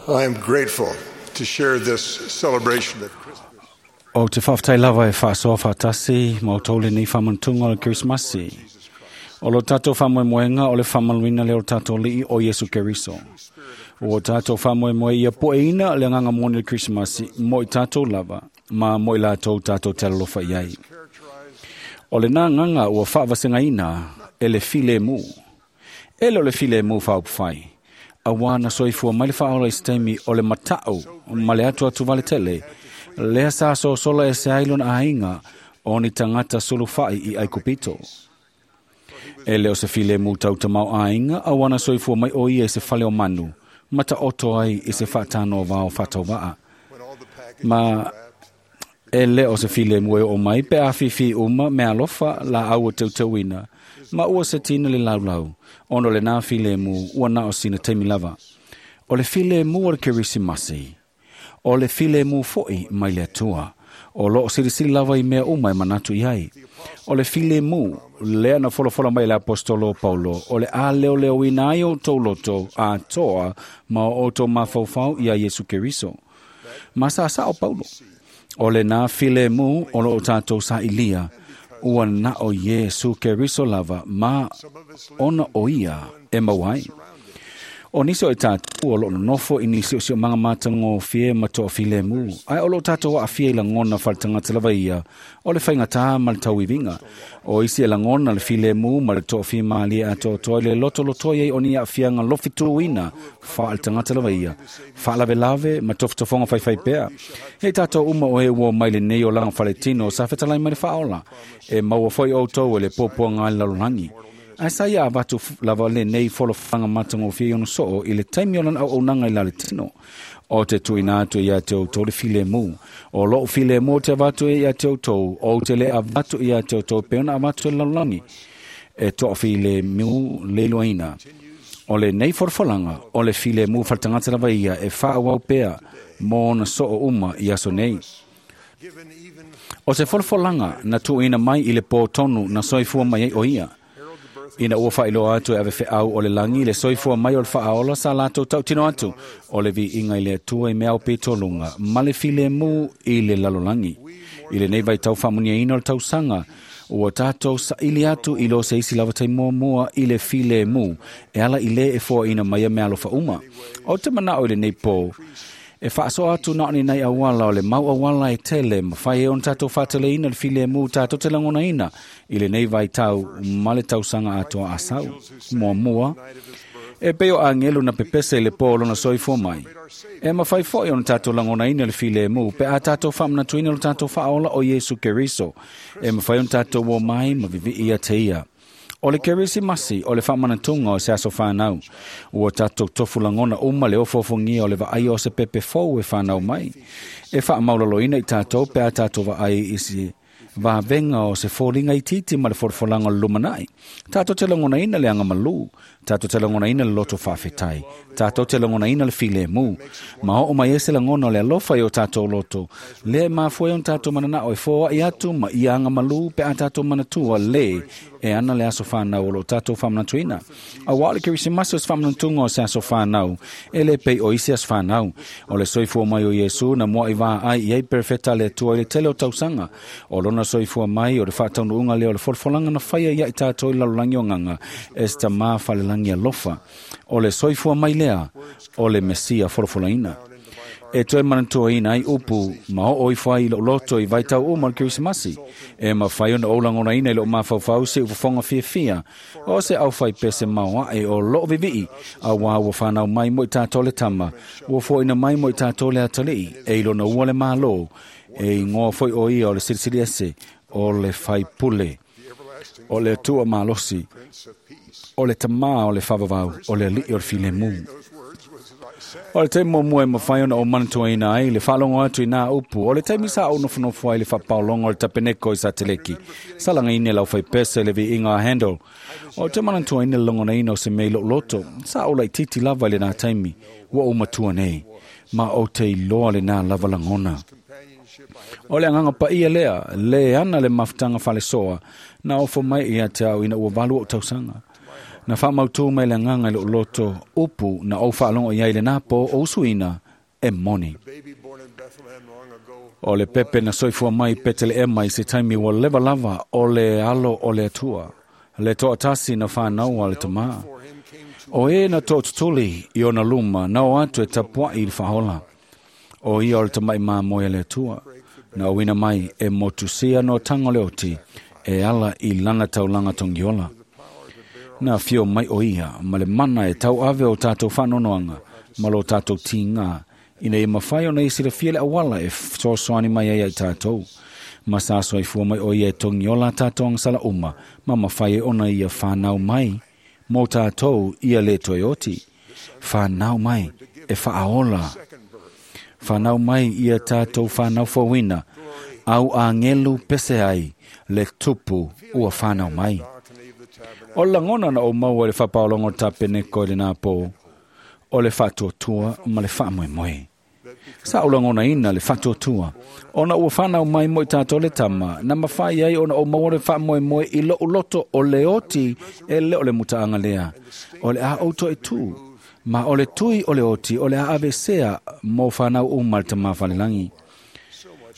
I am grateful to share this celebration of Christmas. O te whawhtai lava e whaasoa whaatasi ma o tōle nei whamantunga o le Krismasi. O lo tātou whamoemoenga o le whamaluina le o tātou lii o Yesu Keriso. O tātou whamoemoe ia poeina le nganga moni le Krismasi mo i tātou lava ma mo i lātou tātou te alofa iai. O le nā nganga ua whaavasengaina e le file mu. E le o le file mu whaupwhai. A wāna soifua mai le whaola i stemi o le matau ma le atu atu vale tele. Lea sa so sola e se ailon a inga o ni tangata sulufai i Aikupito. E leo se file mu tau tamau a inga a wana soifua mai o ia i se fale o manu, mata oto ai i se whaatano vao whatau waa. Ma e leo se file mu e o mai pe a fifi uma me alofa la aua tautauina, ma ua se tina le laulau, ono le nā file mu ua nao sina taimi lava. O le file mu o le Kerisimasi, o le file mu foi mai le atua, o loo silisili lava i mea uma e manatu i ai. O le file mu, lea na folofola mai le apostolo Paulo, o le a leo leo ina ai o tauloto a toa ma o tō mafaufau ia Yesu Keriso. Ma sa sa o Paulo, o le nā file mu o lo o tātou sa ilia, ua na o Yesu Keriso lava ma ona o ia e mauai. O niso e tātou o lo nofo i nisi o si o manga mātango fie ma toa file mu. Ai o lo tātou a fie i langona whaletangata lava ia, o le whainga tā ma le tauivinga. O isi e langona le file mu ma le toa fie maalia a toa toa le loto loto iei o ni a fianga lofituina whaletangata lava ia. Whaalave lave ma tofotofonga whaiwhai pea. Hei tātou uma o he ua mai le nei o langa whaletino sa whetalai mai le whaola. E maua foi o tau e le pōpua ngai lalolangi. Ai sa ia avatu lava le nei folofanga matango fia ono soo i le taimi o lana au nanga i la le tino. O te tuina atu ia te outou le file mu. O loo file mu te avatu ia te outou. O te le avatu ia te outou pe ona avatu e lalolagi. E toa file mu le loaina. O le nei folofolanga, o le file mu whaletangata lava ia e whaawau pea mō ona soo uma i aso nei. O se folofolanga na tuina mai i le pō tonu na soifua mai ai o ia. Ina ua whailoa atu e ave wheau o le langi le soifua mai o le whaaola sa lātou tautino atu o le vi inga i le atua i mea o petolunga ma le file mu i le lalolangi. I le nei vai tau whamunia ina o le tausanga ua tātou sa ili atu i lo se isi lava tai mua mua i le file mu e ala i le e fōa ina mai a mea alofa uma. O te manao i le nei pō e whaaso atu na oni nei awala o le mau awala e tele ma whai e on tātou whātele ina le file mu tātou te langona ina i le nei vai tau ma le tausanga atoa asau. Mua mua, e peo angelu na pepese i le pō lona soifua mai. E mawhai foi on tātou langona ina le file mu pe a tātou whamanatuina le tātou whaola o Yesu Keriso. E mawhai on tātou o mai ma vivi ia te ia. O le Kerisimasi, o le whamanatunga o se aso whanau. Ua tātou tofu langona uma le ofofongia o le vaai o se pepe fou e whanau mai. E whaamaulaloina i tātou pe a tātou vaai i se vavenga o se fōlinga i titi ma le forofolanga o le lumanai. Tātou te langona ina le anga malu. Tātou te langona ina le loto whawhetai. Tātou te langona ina le file mu. Ma o mai ese langona o le alofa i o tātou loto. Le mafue on tātou manana o e fōa i atu ma i anga malu pe a tātou manatua le e ana le aso whanau o lo tātou whamanatuina. A wā le Kerisimasi o se whamanatunga o se aso whanau, e le pei o isi aso whanau. O le soifua mai o Yesu na mua i vā ai i ei perfeta le atua i le tele o tausanga. O lona soifua mai o le whaataunuunga leo le folofolanga na whaia ia i tātou i lalolangi o nganga e se tamā whalelangi alofa. O le soifua mai lea, o le Mesia folofolaina. E toe manatua ina ai upu ma o i whai i lo loto i vaitau uma le Kerisimasi. E ma whai ona o langona ina i lo mafaufau se ufofonga fia fia. O se au whai pese maua e o loo vivii a wā ua whanau mai mo i tātou le tama. Ua fo ina mai mo i tātou le atalii e ilo na ua le mālo. E ingoa foi o ia o le silisili ese o le whai pule. O le atua malosi. O le tamā o le whavavau. O le alii o le file mu. O le taimi mua e mawhai ona o manatua ina ai, le whaalongo atu i nā upu. O le taimi sa au nofonofo ai le whapaolongo o le tapeneko i sa teleki. Sa langa ine lau whai pese le vi inga a handle. O te manatua ina le longona ina o se mei loto. Sa o lai titi lava i le nā taimi. Ua o matua nei. Ma o te iloa le nā lava langona. O le agaga paia lea, le ana le mafutaga falesoa, na ofo mai ia te au ina ua valu o tausaga. Na faamautū mai le agaga i lou loto upu na ou faalogo i ai lenā po o usuina e moni. O le pepe na soifua mai Peteleema i se taimi ua leva lava o le alo o le Atua, le toatasi na whānaua le tamā. O e na tootutuli i ona luma na o atu e tapuai i le whahola. O ia o le tamai māmoe le Atua, na uina mai e motusia no tango le oti, e ala i lana taulanga tongiola. Na fio mai o ia, ma le mana e tau ave o tātou whanonoanga, ma lo tātou tīngā, ina e mawhai o nei silafia le awala e soasoani mai ai ai tātou. Ma sa soifua mai o ia e tongiola tātou ang sala uma, ma mawhai e ona ia whanau mai, mō tātou ia le toioti. Whanau mai e whaaola. Whanau mai ia tātou whanau fawina, au angelu pese ai, le tupu ua whanau mai. O langona na o maua le whapaolongo tapeneko i le nā pō, o le whatuatua ma le whaamoemoe. Sa o langona ina le whatuatua, ona ua whanau mai mo i tātou le tama, na mawhai ai ona o maua le whaamoemoe i lo uloto o le oti e le o le mutaanga lea. O le a outo e tū, ma o le tui o le oti o le a avesea mō whanau uma le tama whalelangi.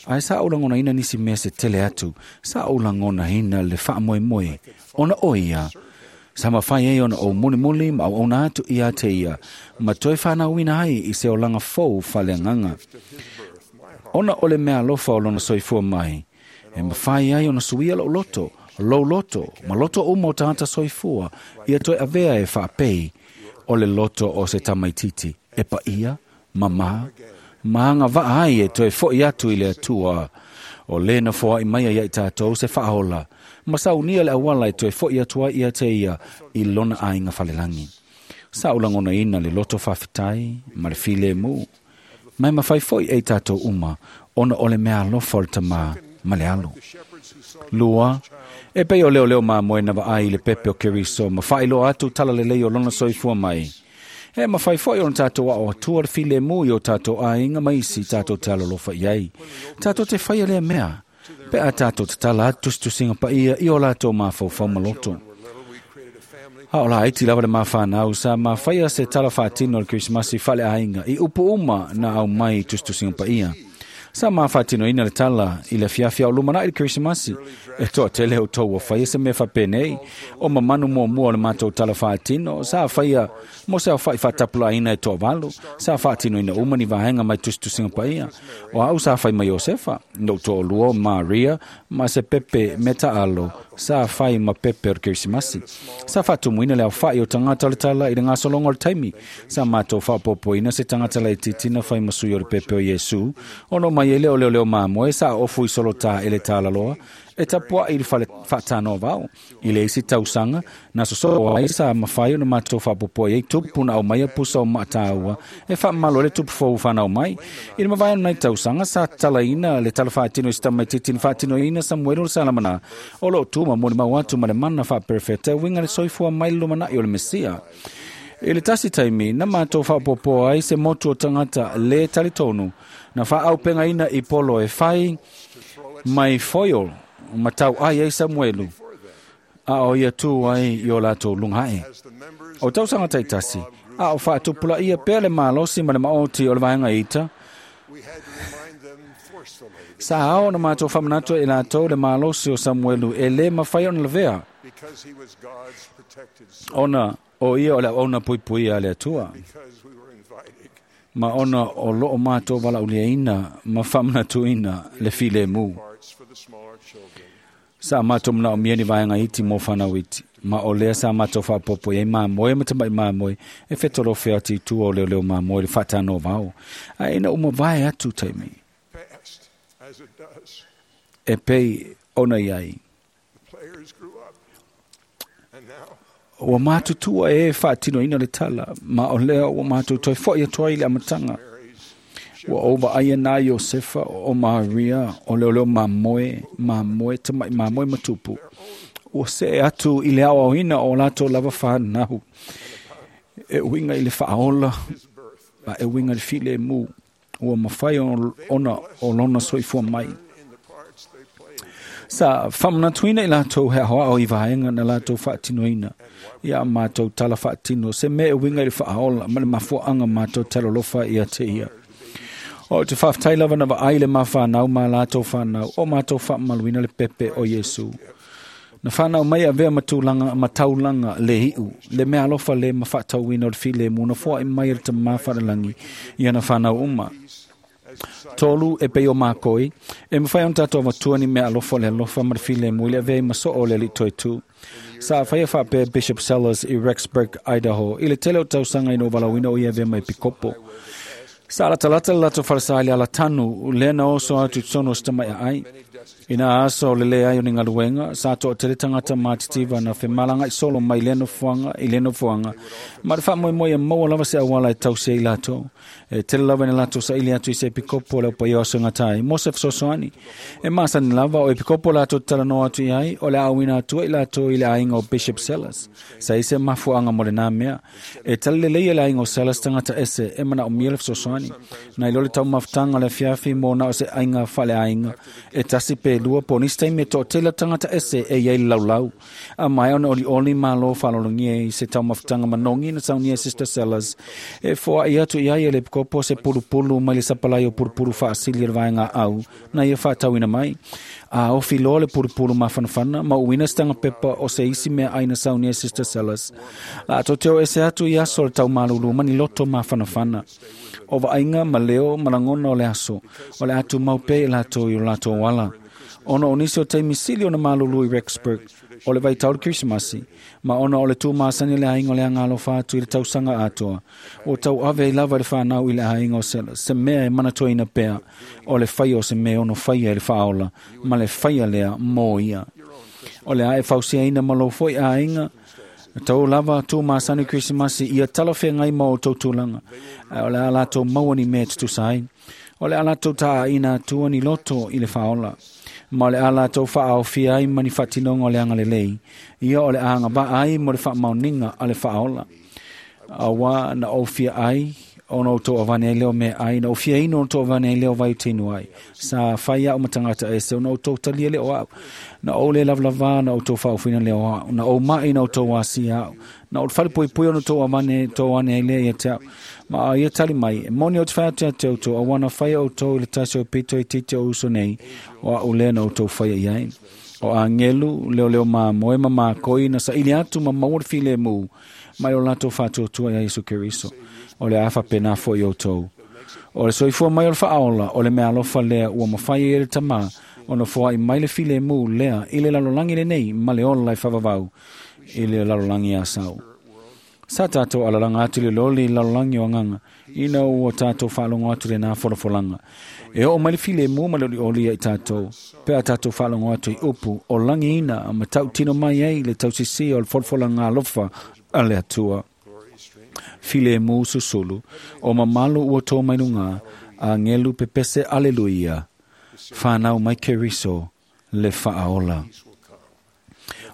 Ai sa o langona ina nisi mea se tele atu, sa o langona ina le whaamoemoe, ona o ia, sa mawhai ei ona o muli muli ma au ona atu ia te ia, ma toi whanau ina ai i se o langa fou whaleanganga. Ona o le mea alofa o lona soifua mai, e mawhai ai ona suia lo loto, lo loto, ma loto uma o tāta soifua, ia toi avea e whaapei, o le loto o se tamaititi, e pa ia, mama, maanga vaa ai e toe foi atu i le atua. O lena foa i mai ai i tātou se whahola. Masaunia le awala e toe foi atua ia te ia i lona ainga whalelangi. Sa ulangona ina le loto whawhitai, ma le file mu. Mai mawhai foi e tātou uma, ona o le mea alofa o le tamā, ma le alo. Lua, e pei o leo leo māmoe na vaai i le pepe o Keriso, ma whailoa atu talalelei o lona soifua mai. E mawhai foi ona tātou ao atua le file mu i o tātou ainga maisi tātou te alolofa i ai. Tātou te whaia lea mea. Pe a tātou te tala atustusinga pa ia i o lātou mawhaufau maloto. A o la aiti lava le mawhanau sa mawhaia se tala whaatino le Krismasi whale ainga i upu uma na au mai tustusinga pa ia. Sa mawhaatino ina le tala i le fiafia o lumana i le Krismasi. E toa tele o tau o whaia se mea whapenei. O mamanu mua mua o le mātou tala whaatino. Sa whaia mo se au whai whatapula ina e toa valu. Sa whaatino ina umani vahenga mai tustusinga pa ia. O au sa whai mai Josefa. No toa lua Maria ma se pepe me taalo. Sa whai ma pepe o le Krismasi. Sa whatumuina le au whai o tangata le tala i le ngasolongo le taimi. Sa mātou whapopo ina se tangata le titina whai masui o le pepe o Yesu. Ono mai e leo leo leo māmoe sa ofu i solo tā ele tālaloa. E tapua i le whaatano vau. I le isi tausanga, na soso ai sa mawhai o na mātou whapopo i tupu na au mai a pusa o maatāua. E whaamalo le tupu fou whanau mai. I le mawai nei tausanga sa talaina le tala whaatino i stamai titini whaatino ina Samuel o le salamana. O lo tuma moni mau atu ma le mana whaaperefeta winga le soifua mai lumana i o le Mesia. I le tasi taimi, na mātou whapopo ai se motu o tangata le talitonu. Na whaaupenga ina i polo e whai mai foil matau ai ai Samuelu. A o ia tū ai i o lātou lungae. O tausanga taitasi, a o whaatupula ia pea le mālosi ma le maoti o le vaenga ita. Sa ao na mātou whamanato e lātou le mālosi o Samuelu e le mawhai ona lavea. Ona o ia o le ona pui pui a le atua. Ma ona o loo mātou wala uliaina ma whamanatuina le file mu. Sa mātou mna o mieni vaenga iti mō whanau iti. Ma o lea sa mātou whapopo i māmoe ma tamai māmoe e whetoro whiati tua o leo leo māmoe le whatano vao. A ina uma vae atu taimi. E pei ona iai. Ua mātutua e whaatino ina le tala, ma o lea ua mātou toi foi atoa i le amatanga. Ua ova aia nā Iosefa o Maria, o leo leo māmoe, māmoe, tamai māmoe matupu. Ua se atu i le ao ina o lātou lava whanau. E uinga i le whaola, ma e uinga i le file e mū. Ua mawhai ona o lona soifua mai. Sa whamanatuina i lātou hea hoa o i vaenga na lātou whaatinoina. Ia mātou tala whaatino, se mea winga i le whaaola, ma le mafuaanga mātou talolofa ia te ia. O te whaftai lava na vaai le mawhanau ma lātou whanau, o mātou whaamaluina le pepe o Yesu. Na whanau mai a vea matulanga, mataulanga le hiu, le mea alofa le mawhaatauina o le file mu, na fua i mai le tamawharalangi, ia na whanau uma. Tolu e pei o mākoi, e mwhai on tātou avatua ni mea alofa le alofa ma le file mu, i le avea i maso o le li toi tū. Sa whaia whapea Bishop Sellers i Rexburg, Idaho, i le tele o tausanga i no walawina o i avea mai pikopo. Sa alatalata le lato wharasai le alatanu, lena oso atu tsono stamai ai. Ina aso le le ai o ni ngaluenga, sa toa tele tangata mātitiva na whemalanga i solo mai leno fuanga, i leno fuanga. Ma te whaamoi moi e maua lava se awala e tause i lato. E tele lava ni lato sa ili atu i se pikopo le opa i oso ngatai. Mose whasosoani. E masani lava o e pikopo lato talanoa atu i ai, o le awina atua i lato i le ainga o Bishop Sellers. Sa ise mafuanga mo le nā mea. E tele le leia le ainga o Sellers tangata ese, e mana o miele whasosoani. Na i lole tau mafutanga le fiafi mo na o se ainga whale ainga. E tasi pe lua po nisi taimi e to'atele tagata ese e iai le laulau. A mai ona olioli malo faalologia i se taumafutaga manogi na saunia Sister Sellers. E foa'i atu i ai e le pikopo se pulupulu mai le sapalai o pulupulu faasili e le vaega au na ia faatauina mai. A ofi loa le pulupulu mafanafana ma uina se tagapepa o se isi mea ai na saunia Sister Sellers. La tou te o ese atu i aso le taumalulu ma ni loto mafanafana. O vaaiga ma leo ma lagona o le aso, o le atu maupe i latou i o latou ala. Ona o nisi o taimi sili o na malulu i Rexburg, o le vaitau le Krisimasi, ma ona o le tūmasani le ainga o le angalofa atu i le tausaga atoa. O tau ave i lava le whanau i le ainga o sela, se mea e manatoina pea, o le whai o se mea ono whaia i le whaola, ma le whaia lea mō ia. O le ae fausia ina malofo i ainga, tau lava tūmasani Krisimasi ia talawhea ngai mō o tautulanga, o le a latou mauani mea tutusa ai. O le a latou taa ina tuani loto i le whaola. Ma le ala tau whaafia ai mani whatinonga o le anga lelei. Ia o le anga ba ai mo le whaamauninga a le whaola. Awa na ofia ai, ona o tō avane ai leo mea ai, na ofia ino o tō avane ai leo vai tinu ai. Sa whaia o matangata e se, ona o tō talia leo au. Na o le lavlava na o tō whaofina leo au. Na o mai na o tō wasi au. Na o te whare pui ona tō avane tō ane ai lea ia te au. Ma a ia tali mai, e moni o te whaia te au tō, a wana whaia o tō i le taisi o pito i titi o uso nei, o a ulea na o tō whaia i ai. O angelu, leo leo mā moe ma mā koi, na sa ili atu ma maua le file mū, mai o lato whātua ia Isu Keriso. O le afa pena fo i o tō. O le soifua mai o le whaola, o le mea alofa lea, ua mawhai e le tamā, o na foa i mai le file mū lea, i le lalolangi le nei, ma le ola i whavavau, i le lalolangi a sau. Sa tātou alalanga atu le loli i lalolangi o anganga, ina ua tātou whaalongo atu le nā folafolanga. E o mai le file mū ma le oli oli ai tātou, pea tātou whaalongo atu i upu, o langi ina, ma tau tino mai ai le tausisi o le folafolanga alofa a le atua. File mū susulu, o mamalu ua tō mai nunga, a ngelu pepese aleluia, whanau mai Keriso, le whaaola.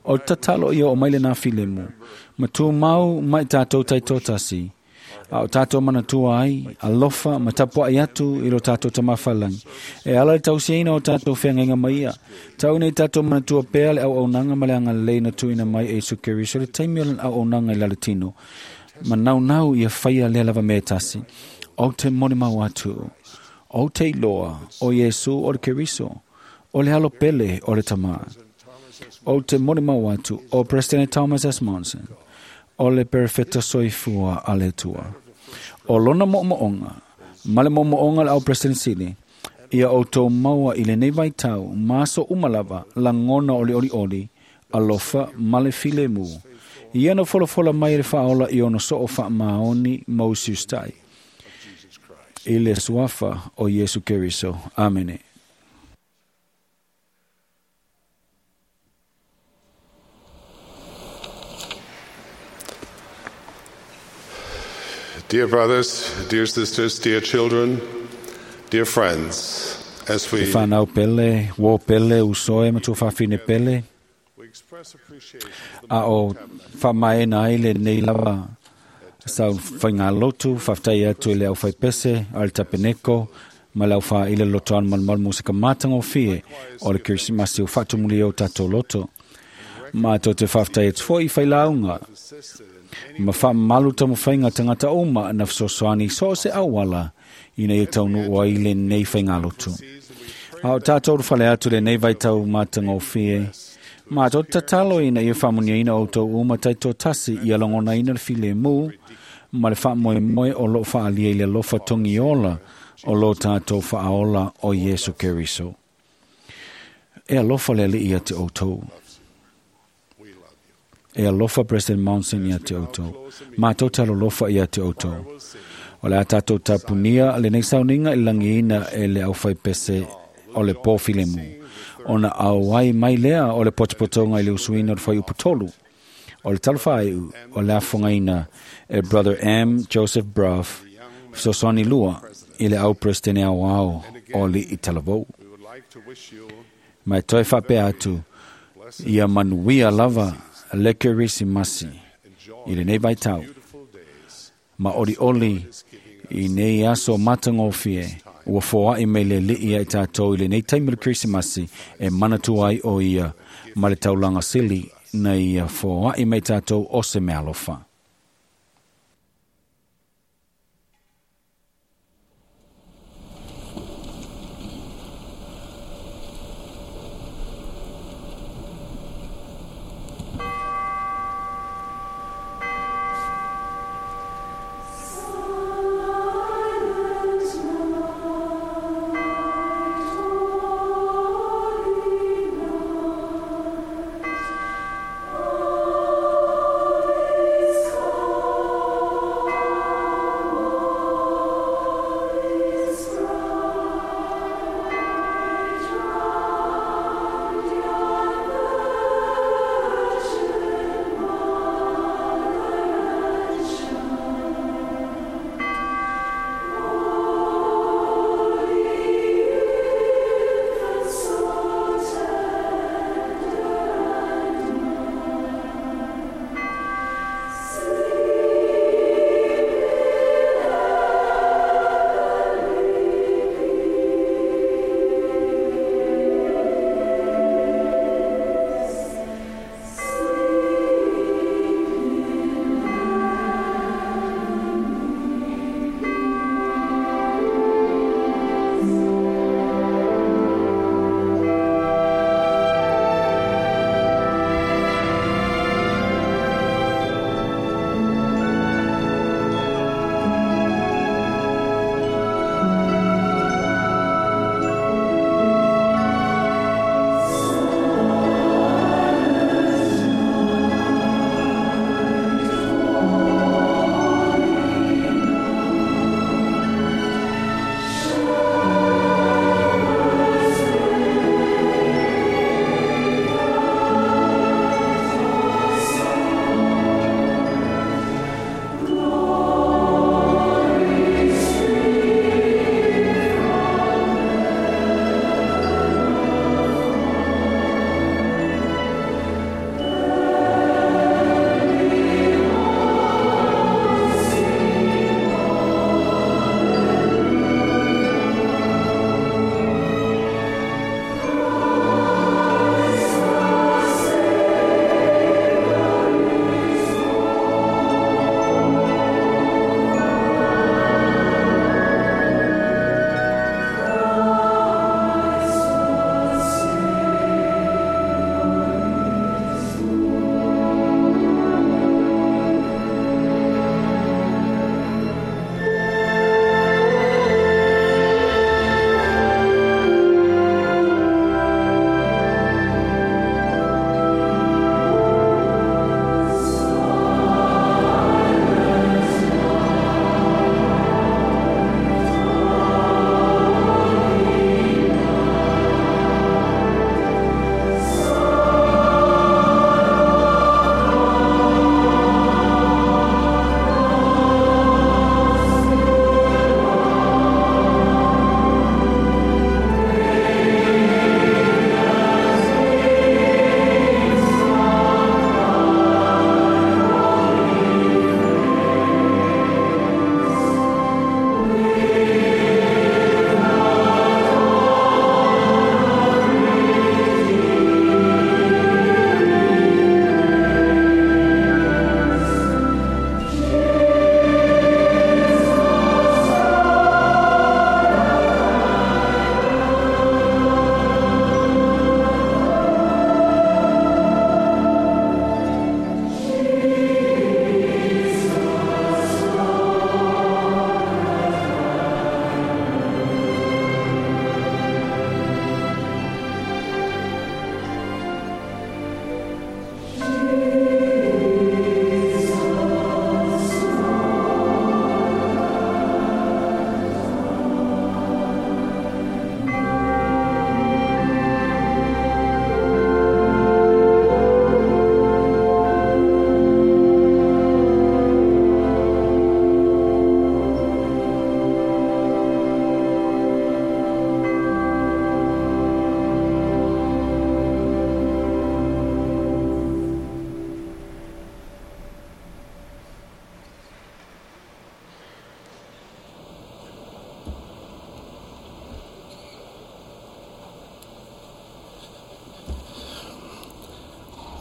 O tatalo ia o mai le nā file mū, ma tū mau mai tātou taitotasi, a o tātou manatua ai, alofa, ma tapua ai atu i lo tātou tamawhalangi. E ala le tausiaina o tātou whengainga mai ia. Tau nei tātou manatua pea le au aunanga ma le anga leina tuina mai e Isu Keriso, le taimi o le au aunanga i lalatino. Ma nau nau ia whaia le lava me tasi. O te moni mau atu, o te iloa, o Yesu o le Keriso, o le alo pele o le tamā. O te moni mau atu, o President Thomas S. Monson, o le perfecta soifua a le tua. O lona mo'omo'onga, ma le mo'omo'onga le au President Sili, ia o tō maua i le nei vaitau, maso umalava, langona o le oli oli, alofa ma le file mū. Ia na folafola mai le whaola i ono soo wha maoni Moses tai. I le suafa o Yesu Keriso. Amene. Dear brothers, dear sisters, dear children, dear friends, as we Te whanau pele, wō pele, usoe, matua whawhine pele, a o whamaena ai le nei lava Sau faigalotu, faafetai atu i le aufaipese a le tapeneko ma le aufaile lotoano malumalu musika matagofie o le Kerisimasi ua faatumulia o tatou loto. Matou te faafetai atu foi i failauga ma faamamalu taumafaiga tagata uma na fesoasoani so o se auala ina ia taunuu ai lenei faigalotu. A o tatou ulufale atu i lenei vaitau matagofie, matou te tatalo ina ia faamuniaina outou uma taitoatasi ia lagonaina le filemu ma le faamoemoe o loo faaalia i le alofa togiola o lo tatou faaola o Iesu Keriso. E alofa le Alii ia te outou. E alofa President Monson ia te outou. Matou te alolofa ia te outou. O le a tatou tapunia lenei sauniga i le lagiina e le aufaipese o le pō filemu. Ona auai mai lea o le potopotoga i le usuina o le fuaiupu tolu. O le talofa iu o le afogaina e Brother M. Joseph Brough, fesoasoani lua i le au Presidente aoao o Alii Talavou. Ma e toe faapea atu, ia manuia lava le Kerisimasi i lenei vaitau. Ma olioli i nei aso matagofie ua foai mai le Alii ia i tatou i lenei taimi o le Kerisimasi e manatua ai o ia ma le taulaga sili na ia foai mai tatou o se meaalofa. Silent night, holy night.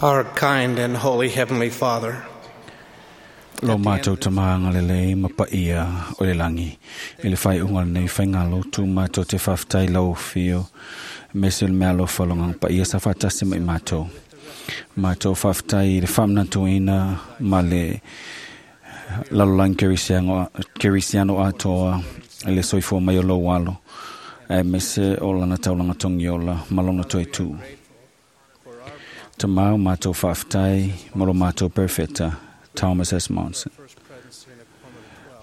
Our kind and holy Heavenly Father, Lo mātou tamānga le lei mapaia o le langi. I le whai unga nei whai ngā lotu mātou te whaftai lau whio. Me se le mea alofa longa paia sa whatasi mai mātou. Mātou whaftai i le whamnatuina ma le lalolagi kerisiano, kerisiano atoa i le soifua mai o lou alo. E me se o lana taulanga tongiola ma lona toe tū. Tamau mātou whaftai mo lo mātou perfecta Thomas S. Monson.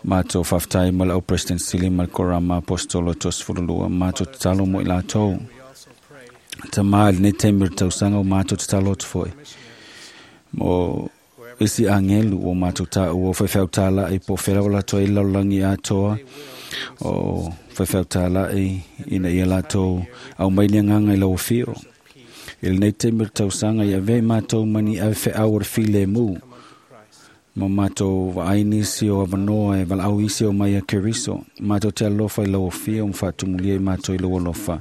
Mātou whaftai mo le au President Sili ma le Korama Apostolo Tos Furulua. Mātou tatalo mo i lātou. Ta mā i lenei taimi o le tausaga o mātou tatalo atu foi. Mo isi angelu o mātou tāua o whaiwhau tāla'i po whera o lātou i lalolagi atoa o whaiwhau tāla'i ina ia lātou au mai le nganga i lau whio. I lenei taimi o le tausaga i avea i mātou mani ave wheau o le file mū. Ma mātou vaai nisi o avanoa e valaau isi o mai a Keriso. Mātou te alofa i lau ofia o mwhaatumulia i mātou i lau alofa.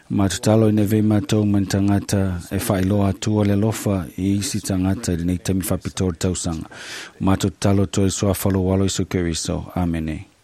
Mātou talo i neve i mātou man tangata e whailoa atua le alofa i isi tangata i lenei taimi whapito o le tausaga. Mātou talo toi soa whalo walo iso Keriso. Amene.